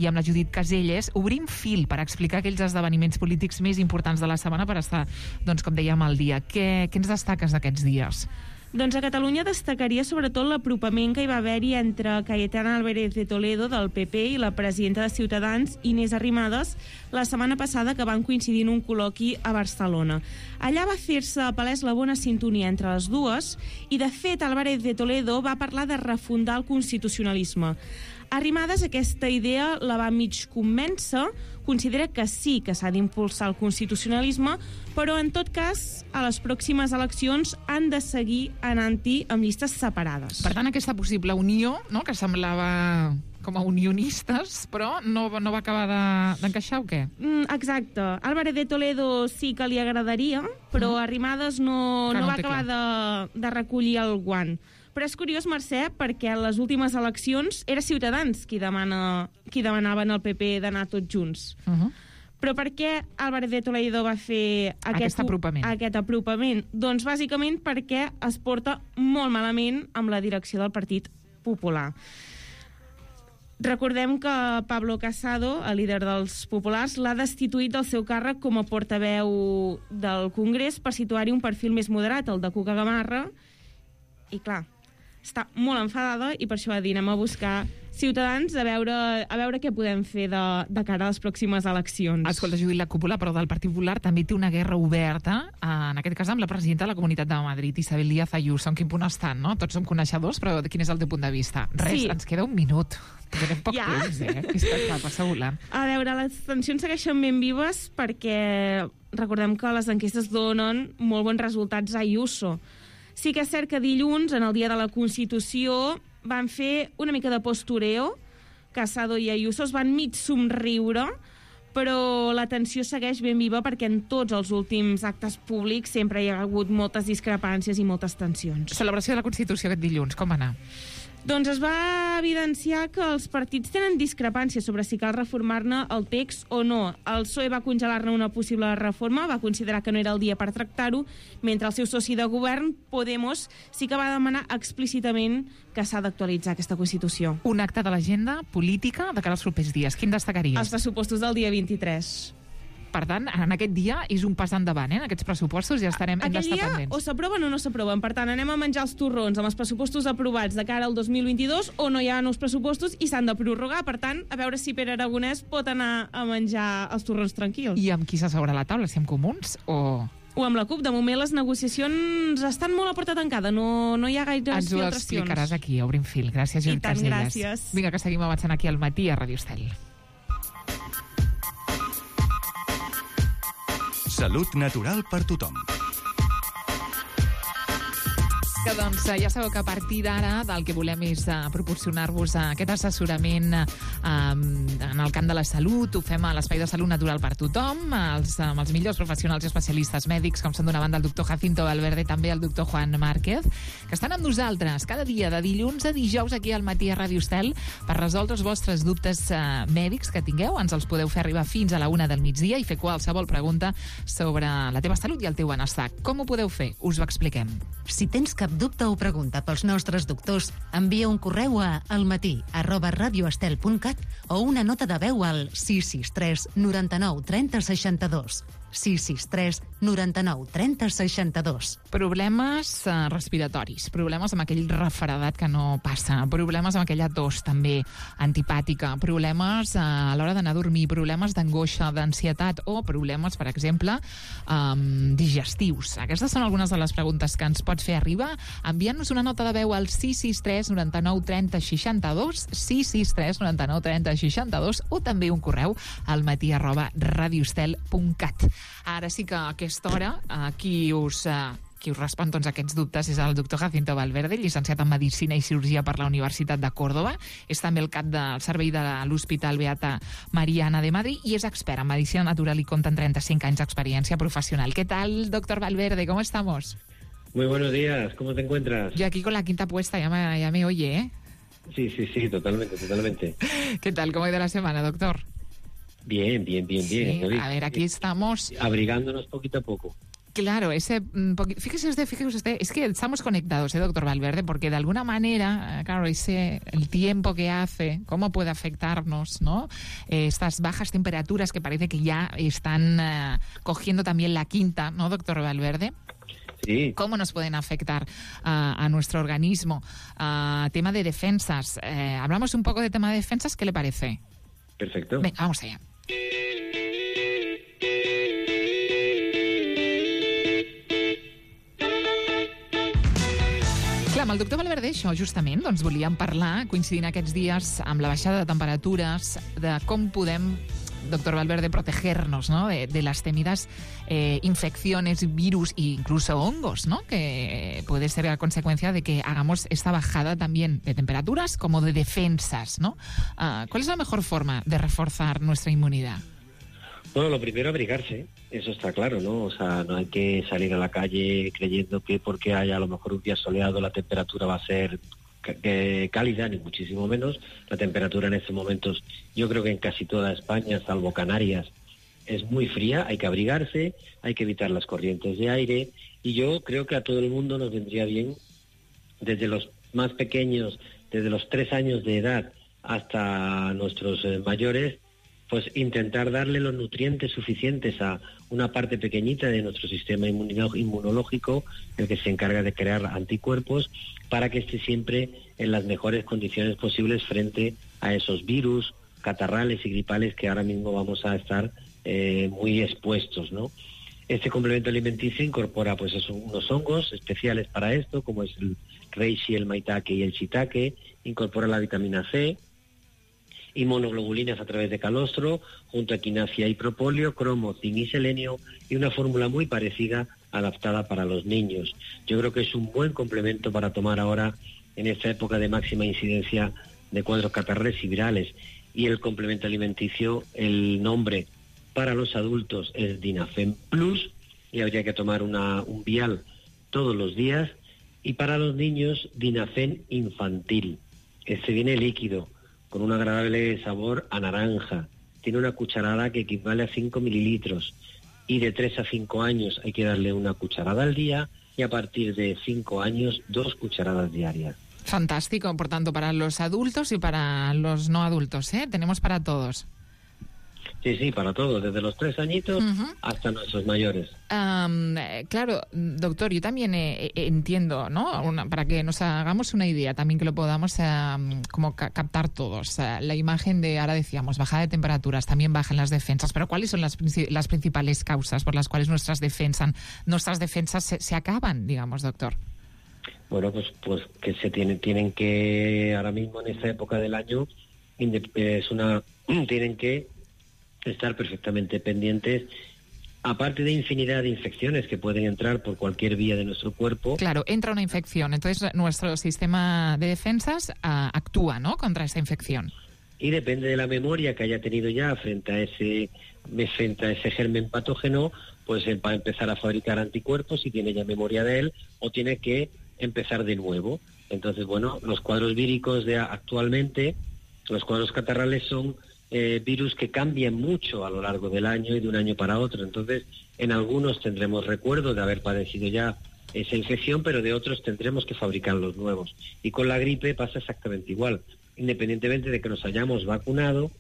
I amb la Judit Caselles obrim fil per explicar aquells esdeveniments polítics més importants de la setmana per estar, doncs, com dèiem, al dia. Què ens destaques d'aquests dies? Doncs a Catalunya destacaria sobretot l'apropament que hi va haver-hi entre Cayetana Álvarez de Toledo, del PP, i la presidenta de Ciutadans, Inés Arrimadas, la setmana passada, que van coincidir en un col·loqui a Barcelona. Allà va fer-se palès la bona sintonia entre les dues i, de fet, Álvarez de Toledo va parlar de refundar el constitucionalisme. Arrimadas aquesta idea la va mig convèncer, considera que sí que s'ha d'impulsar el constitucionalisme, però en tot cas, a les pròximes eleccions han de seguir anant-hi amb llistes separades. Per tant, aquesta possible unió, no?, que semblava com a unionistes, però no va acabar d'encaixar o què? Exacte. Álvarez de Toledo sí que li agradaria, però Arrimadas no va acabar de recollir el guant. Però és curiós, Mercè, perquè a les últimes eleccions era Ciutadans qui demanaven al PP d'anar tots junts. Però per què Álvarez de Toledo va fer aquest apropament? Doncs bàsicament perquè es porta molt malament amb la direcció del Partit Popular. Recordem que Pablo Casado, el líder dels populars, l'ha destituït del seu càrrec com a portaveu del Congrés per situar-hi un perfil més moderat, el de Cuca Gamarra, i clar, està molt enfadada i per això va dir anem a buscar Ciutadans a veure què podem fer de cara a les pròximes eleccions. Escolta, Judit, la cúpula, però del Partit Popular també té una guerra oberta, en aquest cas amb la presidenta de la Comunitat de Madrid, Isabel Díaz Ayuso. En quin punt estan, no? Tots som coneixedors, però quin és el teu punt de vista? Res, sí. Ens queda un minut. Tenim poc temps, que passa volant. A veure, les tensions segueixen ben vives perquè recordem que les enquestes donen molt bons resultats a Ayuso. Sí que és cert que dilluns, en el dia de la Constitució, van fer una mica de postureo. Casado i Ayuso es van mig somriure, però la tensió segueix ben viva perquè en tots els últims actes públics sempre hi ha hagut moltes discrepàncies i moltes tensions. Celebració de la Constitució aquest dilluns, com va anar? Doncs es va evidenciar que els partits tenen discrepàncies sobre si cal reformar-ne el text o no. El PSOE va congelar-ne una possible reforma, va considerar que no era el dia per tractar-ho, mentre el seu soci de govern, Podemos, sí que va demanar explícitament que s'ha d'actualitzar aquesta Constitució. Un acte de l'agenda política de cara als propers dies. Quin destacaries? Els pressupostos del dia 23. Per tant, en aquest dia és un pas endavant, en aquests pressupostos ja hem d'estar pendents. Aquell dia o s'aproven o no s'aproven. Per tant, anem a menjar els torrons amb els pressupostos aprovats de cara al 2022 o no hi ha nous pressupostos i s'han de prorrogar. Per tant, a veure si Pere Aragonès pot anar a menjar els torrons tranquils. I amb qui s'asseurà a la taula? Si amb Comuns o amb la CUP. De moment les negociacions estan molt a porta tancada, no hi ha gaires filtracions. Ens ho explicaràs aquí, a Obrim Fil. Gràcies, Judit Caselles. I tant, gràcies. Vinga, que seguim avançant aquí al matí a Ràdio Estel. Salut natural per tothom. Que doncs ja sabeu que a partir d'ara del que volem és proporcionar-vos aquest assessorament en el camp de la salut. Ho fem a l'Espai de Salut Natural per tothom, amb els millors professionals i especialistes mèdics, com són d'una banda el doctor Jacinto Valverde i també el doctor Juan Márquez, que estan amb nosaltres cada dia de dilluns a dijous aquí al matí a Ràdio Estel per resoldre els vostres dubtes mèdics que tingueu. Ens els podeu fer arribar fins a la 1 del migdia i fer qualsevol pregunta sobre la teva salut i el teu benestar. Com ho podeu fer? Us ho expliquem. Si tens cap dubte o pregunta pels nostres doctors, envia un correu a almatí@radioestel.cat o una nota de veu al 663 99 30 62. 663 99 30 62. Problemes respiratoris, problemes amb aquell refredat que no passa, problemes amb aquella tos també antipàtica, problemes a l'hora d'anar a dormir, problemes d'angoixa, d'ansietat o problemes, per exemple, digestius. Aquestes són algunes de les preguntes que ens pots fer arribar enviant-nos una nota de veu al 663 99 30 62, 663 99 30 62 o també un correu al matí@radioestel.cat. Ara sí que a aquesta hora qui us respon tots aquests dubtes és el doctor Jacinto Valverde, llicenciat en Medicina i Cirurgia per la Universitat de Còrdova. És també el cap del servei de l'Hospital Beata Mariana de Madrid i és expert en Medicina Natural y compta en 35 anys d'experiència professional. ¿Qué tal, doctor Valverde? ¿Cómo estamos? Muy buenos días, ¿cómo te encuentras? Yo aquí con la quinta puesta, ya me oye, ¿eh? Sí, totalmente. ¿Qué tal? ¿Cómo ha ido la semana, doctor? Bien. Sí, a ver, aquí estamos... Abrigándonos poquito a poco. Claro, fíjese usted, es que estamos conectados, doctor Valverde, porque de alguna manera, claro, el tiempo que hace, cómo puede afectarnos, ¿no? Estas bajas temperaturas que parece que ya están cogiendo también la quinta, ¿no, doctor Valverde? Sí. ¿Cómo nos pueden afectar a nuestro organismo? Tema de defensas. Hablamos un poco de tema de defensas, ¿qué le parece? Perfecto. Venga, vamos allá. Clar, amb el doctor Valverde, això, justament, doncs volíem parlar, coincidint aquests dies amb la baixada de temperatures, de com podem, doctor Valverde, protegernos, ¿no? de las temidas infecciones, virus e incluso hongos, ¿no? Que puede ser a consecuencia de que hagamos esta bajada también de temperaturas como de defensas, ¿no? ¿Cuál es la mejor forma de reforzar nuestra inmunidad? Bueno, lo primero, abrigarse, eso está claro, ¿no? O sea, no hay que salir a la calle creyendo que porque haya a lo mejor un día soleado la temperatura va a ser cálida, ni muchísimo menos. La temperatura en estos momentos, yo creo que en casi toda España, salvo Canarias, es muy fría, hay que abrigarse, hay que evitar las corrientes de aire, y yo creo que a todo el mundo nos vendría bien, desde los más pequeños, desde los 3 años de edad hasta nuestros mayores, pues intentar darle los nutrientes suficientes a una parte pequeñita de nuestro sistema inmunológico, el que se encarga de crear anticuerpos, para que esté siempre en las mejores condiciones posibles frente a esos virus, catarrales y gripales que ahora mismo vamos a estar muy expuestos, ¿no? Este complemento alimenticio incorpora pues unos hongos especiales para esto, como es el reishi, el maitake y el shiitake, incorpora la vitamina C, inmunoglobulinas a través de calostro, junto a quinasia y propóleo, cromo, zinc y selenio, y una fórmula muy parecida adaptada para los niños. Yo creo que es un buen complemento para tomar ahora en esta época de máxima incidencia de cuadros catarrales y virales. Y el complemento alimenticio, el nombre para los adultos es Dinafen Plus, y habría que tomar un vial todos los días, y para los niños Dinafen Infantil. Este viene líquido, con un agradable sabor a naranja. Tiene una cucharada que equivale a 5 mililitros. Y de 3 a 5 años hay que darle una cucharada al día, y a partir de 5 años 2 cucharadas diarias. Fantástico, por tanto, para los adultos y para los no adultos, ¿eh? Tenemos para todos. Sí, para todos, desde los 3 añitos hasta nuestros mayores. Claro, doctor, yo también entiendo, ¿no? Para que nos hagamos una idea, también que lo podamos como captar todos. La imagen de, ahora decíamos, bajada de temperaturas, también bajan las defensas, pero ¿cuáles son las principales causas por las cuales nuestras defensas se acaban, digamos, doctor? Bueno, pues que tienen que, ahora mismo en esta época del año, tienen que estar perfectamente pendientes, aparte de infinidad de infecciones que pueden entrar por cualquier vía de nuestro cuerpo. Claro, entra una infección, entonces nuestro sistema de defensas actúa, ¿no?, contra esa infección. Y depende de la memoria que haya tenido ya frente a ese germen patógeno, pues él va a empezar a fabricar anticuerpos si tiene ya memoria de él, o tiene que empezar de nuevo. Entonces, bueno, los cuadros víricos de actualmente, los cuadros catarrales son virus que cambian mucho a lo largo del año y de un año para otro. Entonces, en algunos tendremos recuerdo de haber padecido ya esa infección, pero de otros tendremos que fabricar los nuevos. Y con la gripe pasa exactamente igual. Independientemente de que nos hayamos vacunado,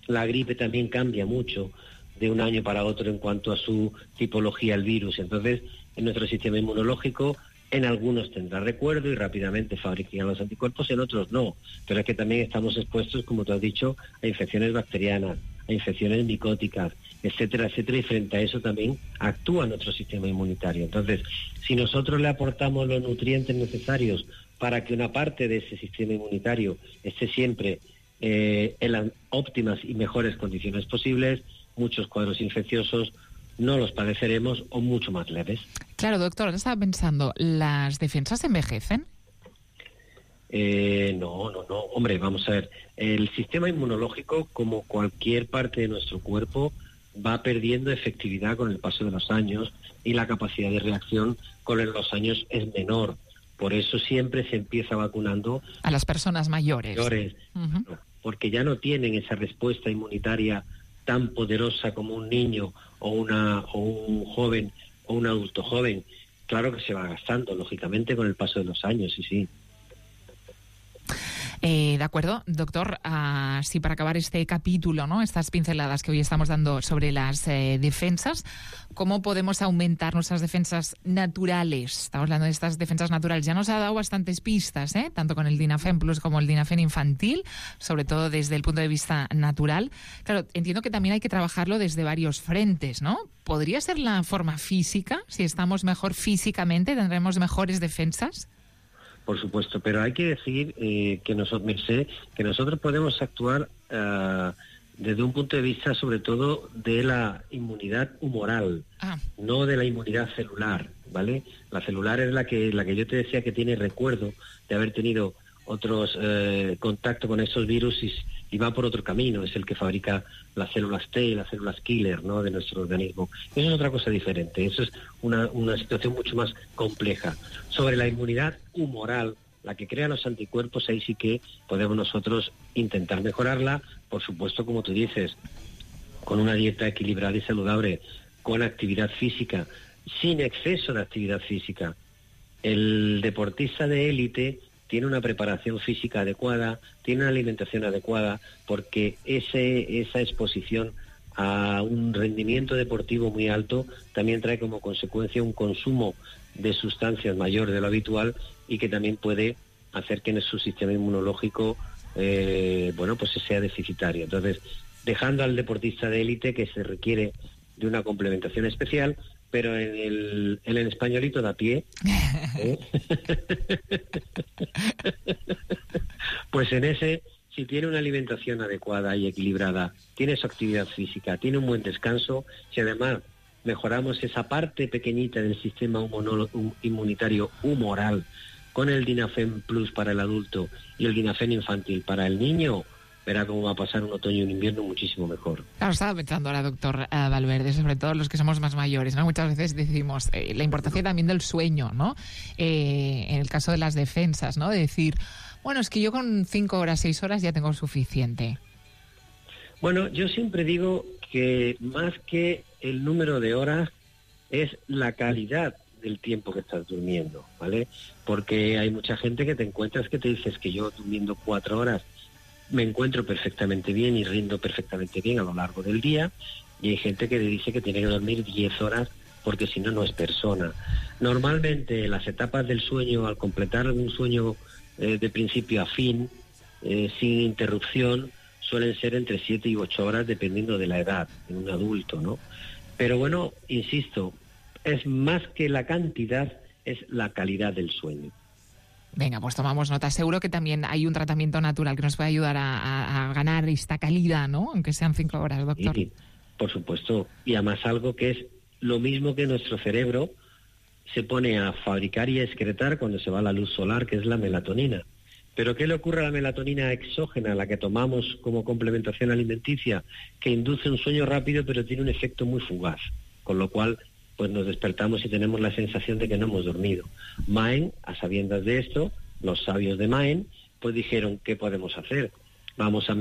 la gripe también cambia mucho de un año para otro en cuanto a su tipología el virus. Entonces, en nuestro sistema inmunológico, en algunos tendrá recuerdo y rápidamente fabricará los anticuerpos, en otros no. Pero es que también estamos expuestos, como tú has dicho, a infecciones bacterianas, a infecciones micóticas, etcétera, etcétera, y frente a eso también actúa nuestro sistema inmunitario. Entonces, si nosotros le aportamos los nutrientes necesarios para que una parte de ese sistema inmunitario esté siempre en las óptimas y mejores condiciones posibles, muchos cuadros infecciosos no los padeceremos o mucho más leves. Claro, doctor, estaba pensando, ¿las defensas envejecen? No. Hombre, vamos a ver. El sistema inmunológico, como cualquier parte de nuestro cuerpo, va perdiendo efectividad con el paso de los años y la capacidad de reacción con los años es menor. Por eso siempre se empieza vacunando a las personas mayores. Uh-huh. Porque ya no tienen esa respuesta inmunitaria tan poderosa como un niño o un joven o un adulto joven. Claro que se va gastando, lógicamente, con el paso de los años, sí. De acuerdo, doctor. Sí, para acabar este capítulo, ¿no? Estas pinceladas que hoy estamos dando sobre las defensas, ¿cómo podemos aumentar nuestras defensas naturales? Estamos hablando de estas defensas naturales. Ya nos ha dado bastantes pistas, tanto con el Dinafen Plus como el Dinafen infantil, sobre todo desde el punto de vista natural. Claro, entiendo que también hay que trabajarlo desde varios frentes, ¿no? ¿Podría ser la forma física? Si estamos mejor físicamente, ¿tendremos mejores defensas? Por supuesto, pero hay que decir que nosotros podemos actuar desde un punto de vista sobre todo de la inmunidad humoral, no de la inmunidad celular, ¿vale? La celular es la que yo te decía que tiene recuerdo de haber tenido otros contacto con esos virus y va por otro camino, es el que fabrica las células T y las células killer, ¿no?, de nuestro organismo. Eso es otra cosa diferente, eso es una situación mucho más compleja. Sobre la inmunidad humoral, la que crea los anticuerpos, ahí sí que podemos nosotros intentar mejorarla, por supuesto, como tú dices, con una dieta equilibrada y saludable, con actividad física, sin exceso de actividad física. El deportista de élite tiene una preparación física adecuada, tiene una alimentación adecuada, porque esa exposición a un rendimiento deportivo muy alto también trae como consecuencia un consumo de sustancias mayor de lo habitual y que también puede hacer que en su sistema inmunológico pues sea deficitario. Entonces, dejando al deportista de élite, que se requiere de una complementación especial, pero en el españolito de a pie, pues en ese, si tiene una alimentación adecuada y equilibrada, tiene su actividad física, tiene un buen descanso, si además mejoramos esa parte pequeñita del sistema inmunitario humoral con el Dinafen Plus para el adulto y el Dinafen infantil para el niño, verá cómo va a pasar un otoño y un invierno muchísimo mejor. Claro, estaba pensando ahora, doctor Valverde, sobre todo los que somos más mayores, ¿no? Muchas veces decimos la importancia también del sueño, ¿no? En el caso de las defensas, ¿no? De decir, bueno, es que yo con 5 horas, 6 horas ya tengo suficiente. Bueno, yo siempre digo que más que el número de horas es la calidad del tiempo que estás durmiendo, ¿vale? Porque hay mucha gente que te encuentras que te dices que yo durmiendo 4 horas me encuentro perfectamente bien y rindo perfectamente bien a lo largo del día, y hay gente que le dice que tiene que dormir 10 horas porque si no, no es persona. Normalmente las etapas del sueño, al completar un sueño de principio a fin, sin interrupción, suelen ser entre 7 y 8 horas dependiendo de la edad en un adulto, ¿no? Pero bueno, insisto, es más que la cantidad, es la calidad del sueño. Venga, pues tomamos nota. Seguro que también hay un tratamiento natural que nos puede ayudar a ganar esta calidad, ¿no? Aunque sean 5 horas, doctor. Sí, por supuesto. Y además algo que es lo mismo que nuestro cerebro se pone a fabricar y a excretar cuando se va la luz solar, que es la melatonina. Pero ¿qué le ocurre a la melatonina exógena, la que tomamos como complementación alimenticia? Que induce un sueño rápido, pero tiene un efecto muy fugaz. Con lo cual, pues nos despertamos y tenemos la sensación de que no hemos dormido. Maen, a sabiendas de esto, los sabios de Maen, pues dijeron, ¿qué podemos hacer? Vamos a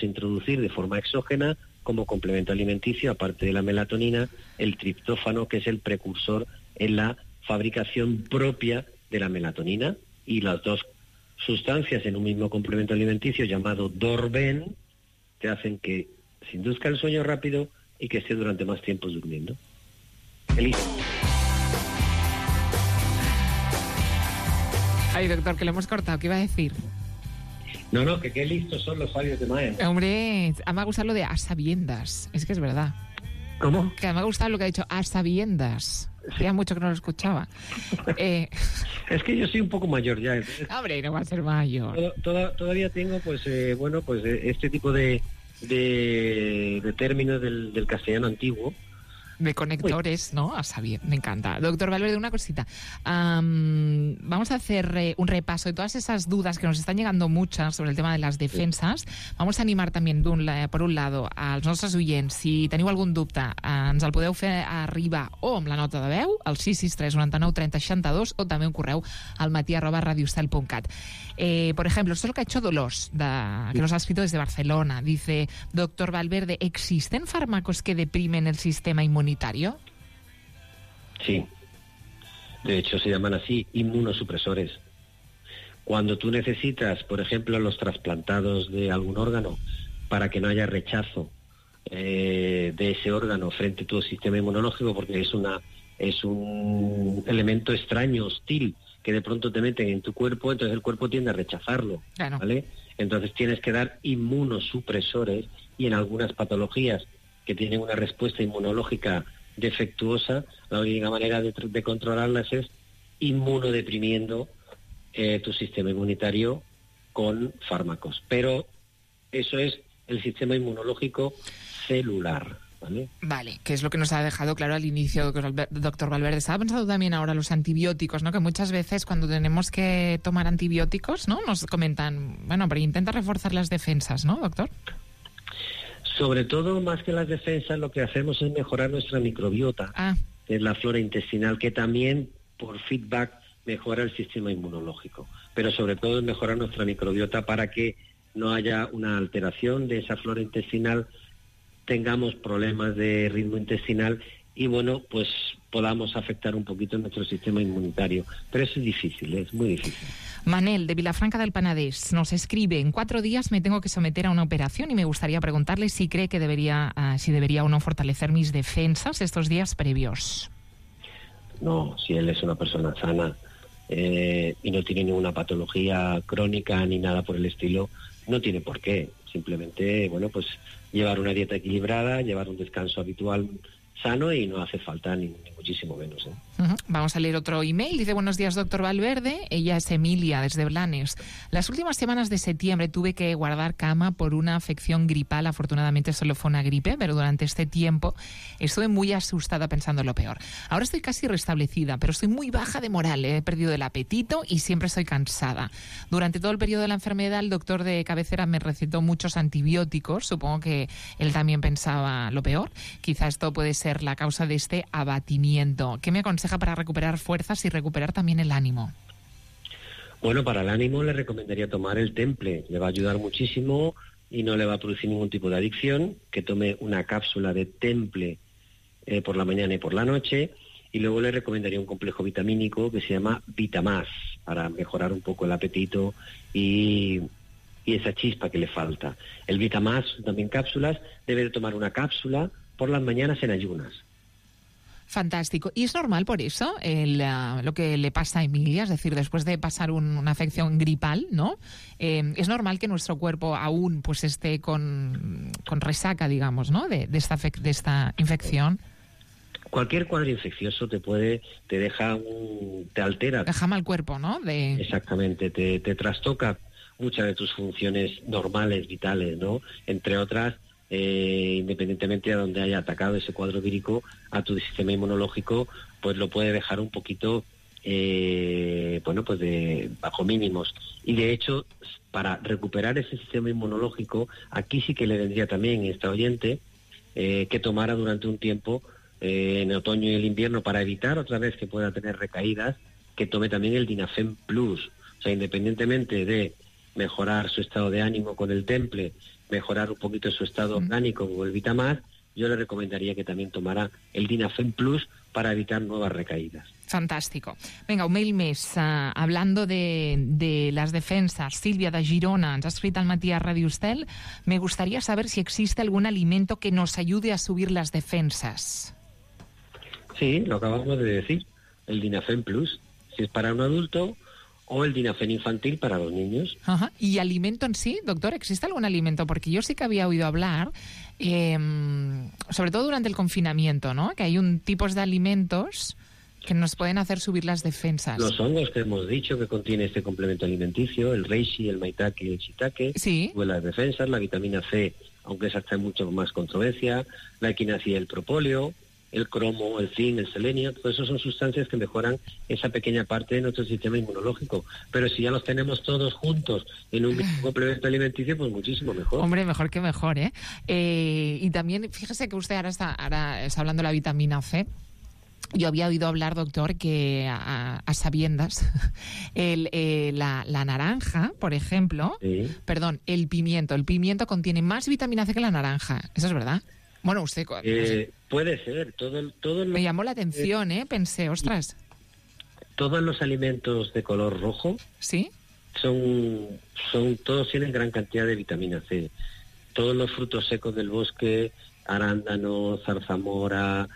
introducir de forma exógena, como complemento alimenticio, aparte de la melatonina, el triptófano, que es el precursor en la fabricación propia de la melatonina, y las dos sustancias en un mismo complemento alimenticio llamado Dorben, que hacen que se induzca el sueño rápido, y que esté durante más tiempo durmiendo. Feliz. Ay, doctor, que le hemos cortado. ¿Qué iba a decir? No, que qué listos son los sabios de Maen. Hombre, me ha gustado lo de a sabiendas. Es que es verdad. ¿Cómo? Que me ha gustado lo que ha dicho a sabiendas. Hacía mucho que no lo escuchaba. Es que yo soy un poco mayor ya. Hombre, no va a ser mayor. Todavía tengo, pues, este tipo de términos del castellano antiguo. De conectores, ¿no? A saber, me encanta. Doctor Valverde, una cosita. Vamos a hacer un repaso de todas esas dudas que nos están llegando muchas sobre el tema de las defenses. Vamos a animar també, per un lado, als nostres oients. Si teniu algun dubte, ens el podeu fer arribar o amb la nota de veu, al 663 99 30 62, o també un correu al matí@radiostel.cat. Por ejemplo, esto es lo que ha hecho Dolors, que nos ha escrito desde Barcelona. Dice, doctor Valverde, ¿existen fármacos que deprimen el sistema inmunitario? Sí. De hecho, se llaman así inmunosupresores. Cuando tú necesitas, por ejemplo, los trasplantados de algún órgano para que no haya rechazo de ese órgano frente a tu sistema inmunológico, porque es un elemento extraño, hostil, que de pronto te meten en tu cuerpo, entonces el cuerpo tiende a rechazarlo, claro. ¿Vale? Entonces tienes que dar inmunosupresores, y en algunas patologías que tienen una respuesta inmunológica defectuosa, la única manera de controlarlas es inmunodeprimiendo tu sistema inmunitario con fármacos. Pero eso es el sistema inmunológico celular. Vale, que es lo que nos ha dejado claro al inicio, doctor Valverde. Estaba pensando también ahora los antibióticos, ¿no? Que muchas veces cuando tenemos que tomar antibióticos, ¿no? Nos comentan, bueno, pero intenta reforzar las defensas, ¿no, doctor? Sobre todo, más que las defensas, lo que hacemos es mejorar nuestra microbiota, que es la flora intestinal, que también, por feedback, mejora el sistema inmunológico. Pero sobre todo es mejorar nuestra microbiota para que no haya una alteración de esa flora intestinal, tengamos problemas de ritmo intestinal y, bueno, pues podamos afectar un poquito nuestro sistema inmunitario. Pero eso es difícil, es muy difícil. Manel, de Vilafranca del Penedès, nos escribe: en 4 días me tengo que someter a una operación y me gustaría preguntarle si cree que debería o no fortalecer mis defensas estos días previos. No, si él es una persona sana y no tiene ninguna patología crónica ni nada por el estilo, no tiene por qué. Simplemente, bueno, pues llevar una dieta equilibrada, llevar un descanso habitual sano, y no hace falta ni muchísimo menos. Vamos a leer otro email. Dice: buenos días, doctor Valverde. Ella es Emilia, desde Blanes. Las últimas semanas de septiembre tuve que guardar cama por una afección gripal. Afortunadamente solo fue una gripe, pero durante este tiempo estuve muy asustada pensando en lo peor. Ahora estoy casi restablecida, pero estoy muy baja de moral. He perdido el apetito y siempre estoy cansada. Durante todo el periodo de la enfermedad, el doctor de cabecera me recetó muchos antibióticos. Supongo que él también pensaba lo peor. Quizá esto puede ser la causa de este abatimiento. ¿Qué me aconseja para recuperar fuerzas y recuperar también el ánimo? Bueno, para el ánimo le recomendaría tomar el Temple. Le va a ayudar muchísimo y no le va a producir ningún tipo de adicción. Que tome una cápsula de Temple por la mañana y por la noche. Y luego le recomendaría un complejo vitamínico que se llama Vitamás, para mejorar un poco el apetito y esa chispa que le falta. El Vitamás, también cápsulas, debe de tomar una cápsula por las mañanas en ayunas. Fantástico. ¿Y es normal por eso lo que le pasa a Emilia? Es decir, después de pasar una afección gripal, ¿no? Es normal que nuestro cuerpo aún pues esté con resaca, digamos, ¿no? De esta infección. Cualquier cuadro infeccioso te altera. Deja mal cuerpo, ¿no? Exactamente, te trastoca muchas de tus funciones normales, vitales, ¿no? Entre otras, independientemente de donde haya atacado ese cuadro vírico, a tu sistema inmunológico, pues lo puede dejar un poquito, bajo mínimos. Y de hecho, para recuperar ese sistema inmunológico, aquí sí que le vendría también esta oyente que tomara durante un tiempo, en otoño y el invierno, para evitar otra vez que pueda tener recaídas, que tome también el Dinafem Plus. O sea, independientemente de mejorar su estado de ánimo con el Temple, mejorar un poquito su estado orgánico con el Vitamás, yo le recomendaría que también tomara el Dinafen Plus para evitar nuevas recaídas. Fantástico. Venga, un mail més. Hablando de las defensas, Silvia de Girona ens ha escrit al matí a Radio Estel. Me gustaría saber si existe algún alimento que nos ayude a subir las defensas. Sí, lo acabamos de decir, el Dinafen Plus, si es para un adulto, o el Dinafen infantil para los niños. Ajá. ¿Y alimento en sí, doctor? ¿Existe algún alimento? Porque yo sí que había oído hablar, sobre todo durante el confinamiento, ¿no? Que hay tipos de alimentos que nos pueden hacer subir las defensas. Los hongos que hemos dicho que contiene este complemento alimenticio, el reishi, el maitake y el shiitake, sí, suben las defensas, la vitamina C, aunque esa está en mucho más controversia, la equinacia y el propóleo, el cromo, el zinc, el selenio, todo eso son sustancias que mejoran esa pequeña parte de nuestro sistema inmunológico. Pero si ya los tenemos todos juntos en un mismo complemento alimenticio, pues muchísimo mejor. Hombre, mejor que mejor, ¿eh? Y también, fíjese que usted ahora está hablando de la vitamina C. Yo había oído hablar, doctor, que a sabiendas la naranja, por ejemplo, sí. Perdón, el pimiento contiene más vitamina C que la naranja. ¿Eso es verdad? Bueno, usted... puede ser. Me llamó la atención, pensé, ostras. Todos los alimentos de color rojo, ¿sí? Todos tienen gran cantidad de vitamina C. Todos los frutos secos del bosque, arándano, zarzamora,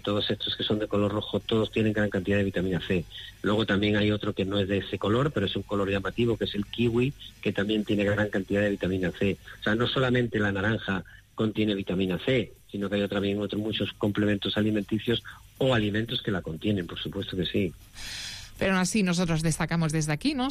todos estos que son de color rojo, todos tienen gran cantidad de vitamina C. Luego también hay otro que no es de ese color, pero es un color llamativo, que es el kiwi, que también tiene gran cantidad de vitamina C. O sea, no solamente la naranja contiene vitamina C, sino que hay también otros muchos complementos alimenticios o alimentos que la contienen, por supuesto que sí. Pero aún así nosotros destacamos desde aquí, ¿no?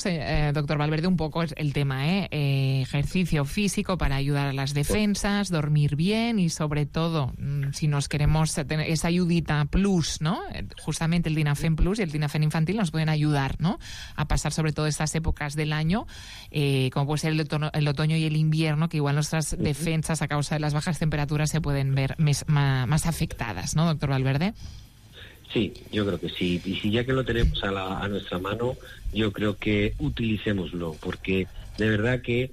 Doctor Valverde, un poco el tema, ejercicio físico para ayudar a las defensas, dormir bien y sobre todo, si nos queremos tener esa ayudita plus, ¿no? Justamente el Dinafen Plus y el Dinafen infantil nos pueden ayudar, ¿no? A pasar sobre todo estas épocas del año, como puede ser el otoño y el invierno, que igual nuestras defensas a causa de las bajas temperaturas se pueden ver más afectadas, ¿no, doctor Valverde? Sí, yo creo que sí. Y si ya que lo tenemos a nuestra mano, yo creo que utilicémoslo, porque de verdad que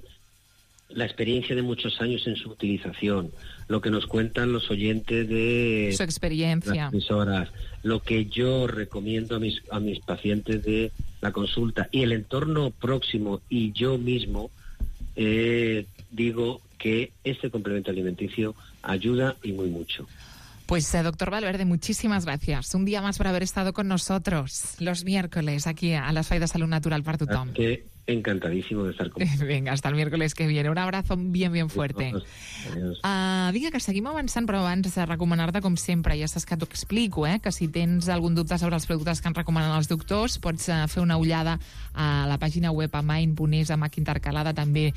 la experiencia de muchos años en su utilización, lo que nos cuentan los oyentes de su experiencia, las emisoras, lo que yo recomiendo a mis pacientes de la consulta y el entorno próximo y yo mismo, digo que este complemento alimenticio ayuda y muy mucho. Pues, doctor Valverde, muchísimas gracias. Un día más por haber estado con nosotros los miércoles aquí a l'Espai de Salut Natural per Tothom. Encantadísimo de estar con vosotros. Venga, hasta el miércoles que viene. Un abrazo bien fuerte. Vinga, que seguim avançant, però abans de recomanar-te, com sempre, ja saps que t'ho explico, que si tens algun dubte sobre els productes que ens recomanen els doctors, pots fer una ullada a la pàgina web amain.es, amb H intercalada, també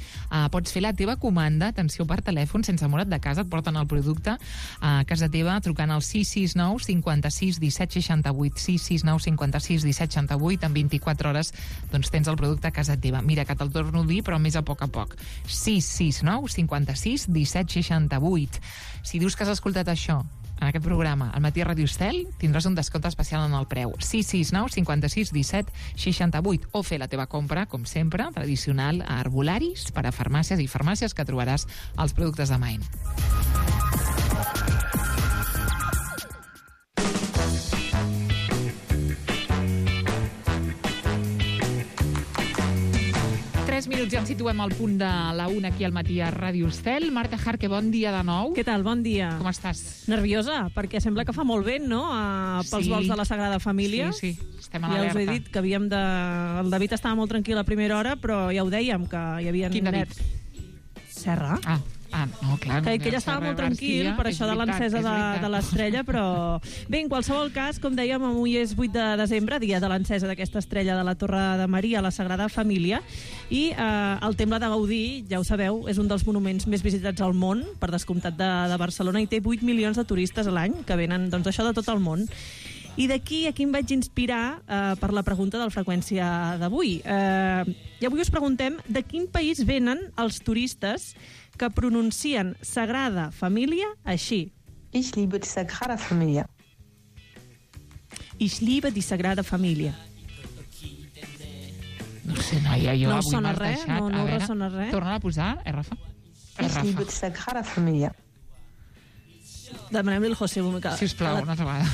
pots fer la teva comanda, atenció, per telèfon, sense moure't de casa, et porten el producte a casa teva, trucant al 669 56 17 68, 669 56 17 68, en 24 hores doncs tens el producte a casa teva. Mira, que te'l torno a dir, però més a poc. 669 56 17 68. Si dius que has escoltat això en aquest programa al matí a Ràdio Estel, tindràs un descompte especial en el preu. 669 56 17 68. O fer la teva compra, com sempre, tradicional, a herbolaris, per a farmàcies i farmàcies, que trobaràs els productes de Main. Minuts, ja ens situem al punt de la 1 aquí al matí a Ràdio Estel. Marta Jarque, bon dia de nou. Què tal? Bon dia. Com estàs? Nerviosa, perquè sembla que fa molt vent, no?, pels vols de la Sagrada Família. Sí, estem a l'alerta. Ja us he dit que havíem de... El David estava molt tranquil a primera hora, però ja ho dèiem, que hi havia... Quin David? Serra. No, clar. Que ella estava molt tranquil per això de l'encesa de l'estrella, però... Bé, en qualsevol cas, com dèiem, avui és 8 de desembre, dia de l'encesa d'aquesta estrella de la Torre de Maria a la Sagrada Família, i el Temple de Gaudí, ja ho sabeu, és un dels monuments més visitats al món, per descomptat de Barcelona, i té 8 milions de turistes a l'any, que venen, doncs, això de tot el món. I d'aquí aquí em vaig inspirar per la pregunta del Freqüència d'avui. I avui us preguntem de quin país venen els turistes que pronuncien Sagrada Família així. Ich liebe die Sagrada Familia. Ich liebe die Sagrada Familia. No sé, noia, jo no avui sona m'has res, deixat. no ressona res. Torna a posar, Rafa? Ich liebe die Sagrada Familia. Demanem-li al José Bumika. Sisplau, una altra vegada.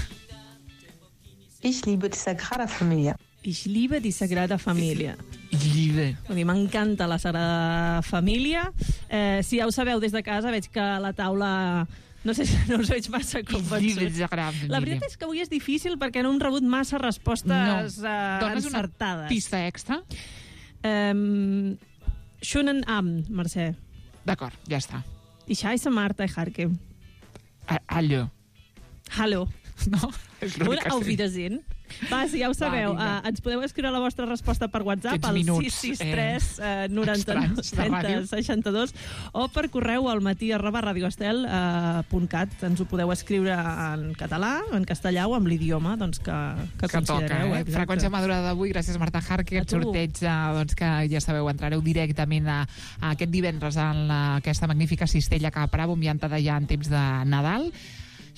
Ich liebe die Sagrada Familia. Ich liebe die Sagrada Familia. Vull dir, m'encanta la Sagrada Família. Si ja ho sabeu des de casa, veig que la taula... No sé si no us veig massa convençuts. La veritat és que avui és difícil perquè no hem rebut massa respostes Dones encertades. Una pista extra? Schönen Abend, Mercè. D'acord, ja està. Ich heiße Marta Ejarque. Hallo. Hallo. No? Auf Wiedersehen. Va, si ja ho sabeu, ens podeu escriure la vostra resposta per WhatsApp al 663 99 30 62 o per correu al matí@radioestel.cat. Ens ho podeu escriure en català, en castellà o amb l'idioma que considereu. Toca, Freqüència madurada d'avui, gràcies Marta Jarque, aquest sorteig que ja sabeu, entrareu directament a aquest divendres en aquesta magnífica cistella que Bravo enviant d'allà en temps de Nadal.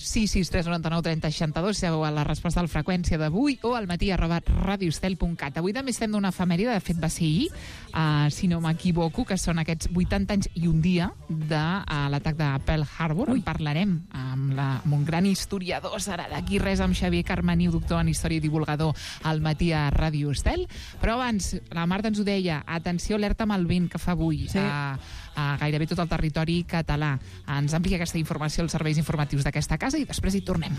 663 99 30 62, sabeu la resposta a la freqüència d'avui o al matí@radioestel.cat. Avui també estem d'una efemèride, de fet va ser ahir, si no m'equivoco, que són aquests 80 anys i un dia de l'atac de Pearl Harbor. En parlarem amb un gran historiador, serà d'aquí res, amb Xavier Carmeniu, doctor en història i divulgador al matí a Ràdio Estel. Però abans, la Marta ens ho deia, atenció, alerta amb el vent que fa avui. Sí. A gairebé tot el territori català. Ens amplia aquesta informació als serveis informatius d'aquesta casa i després hi tornem.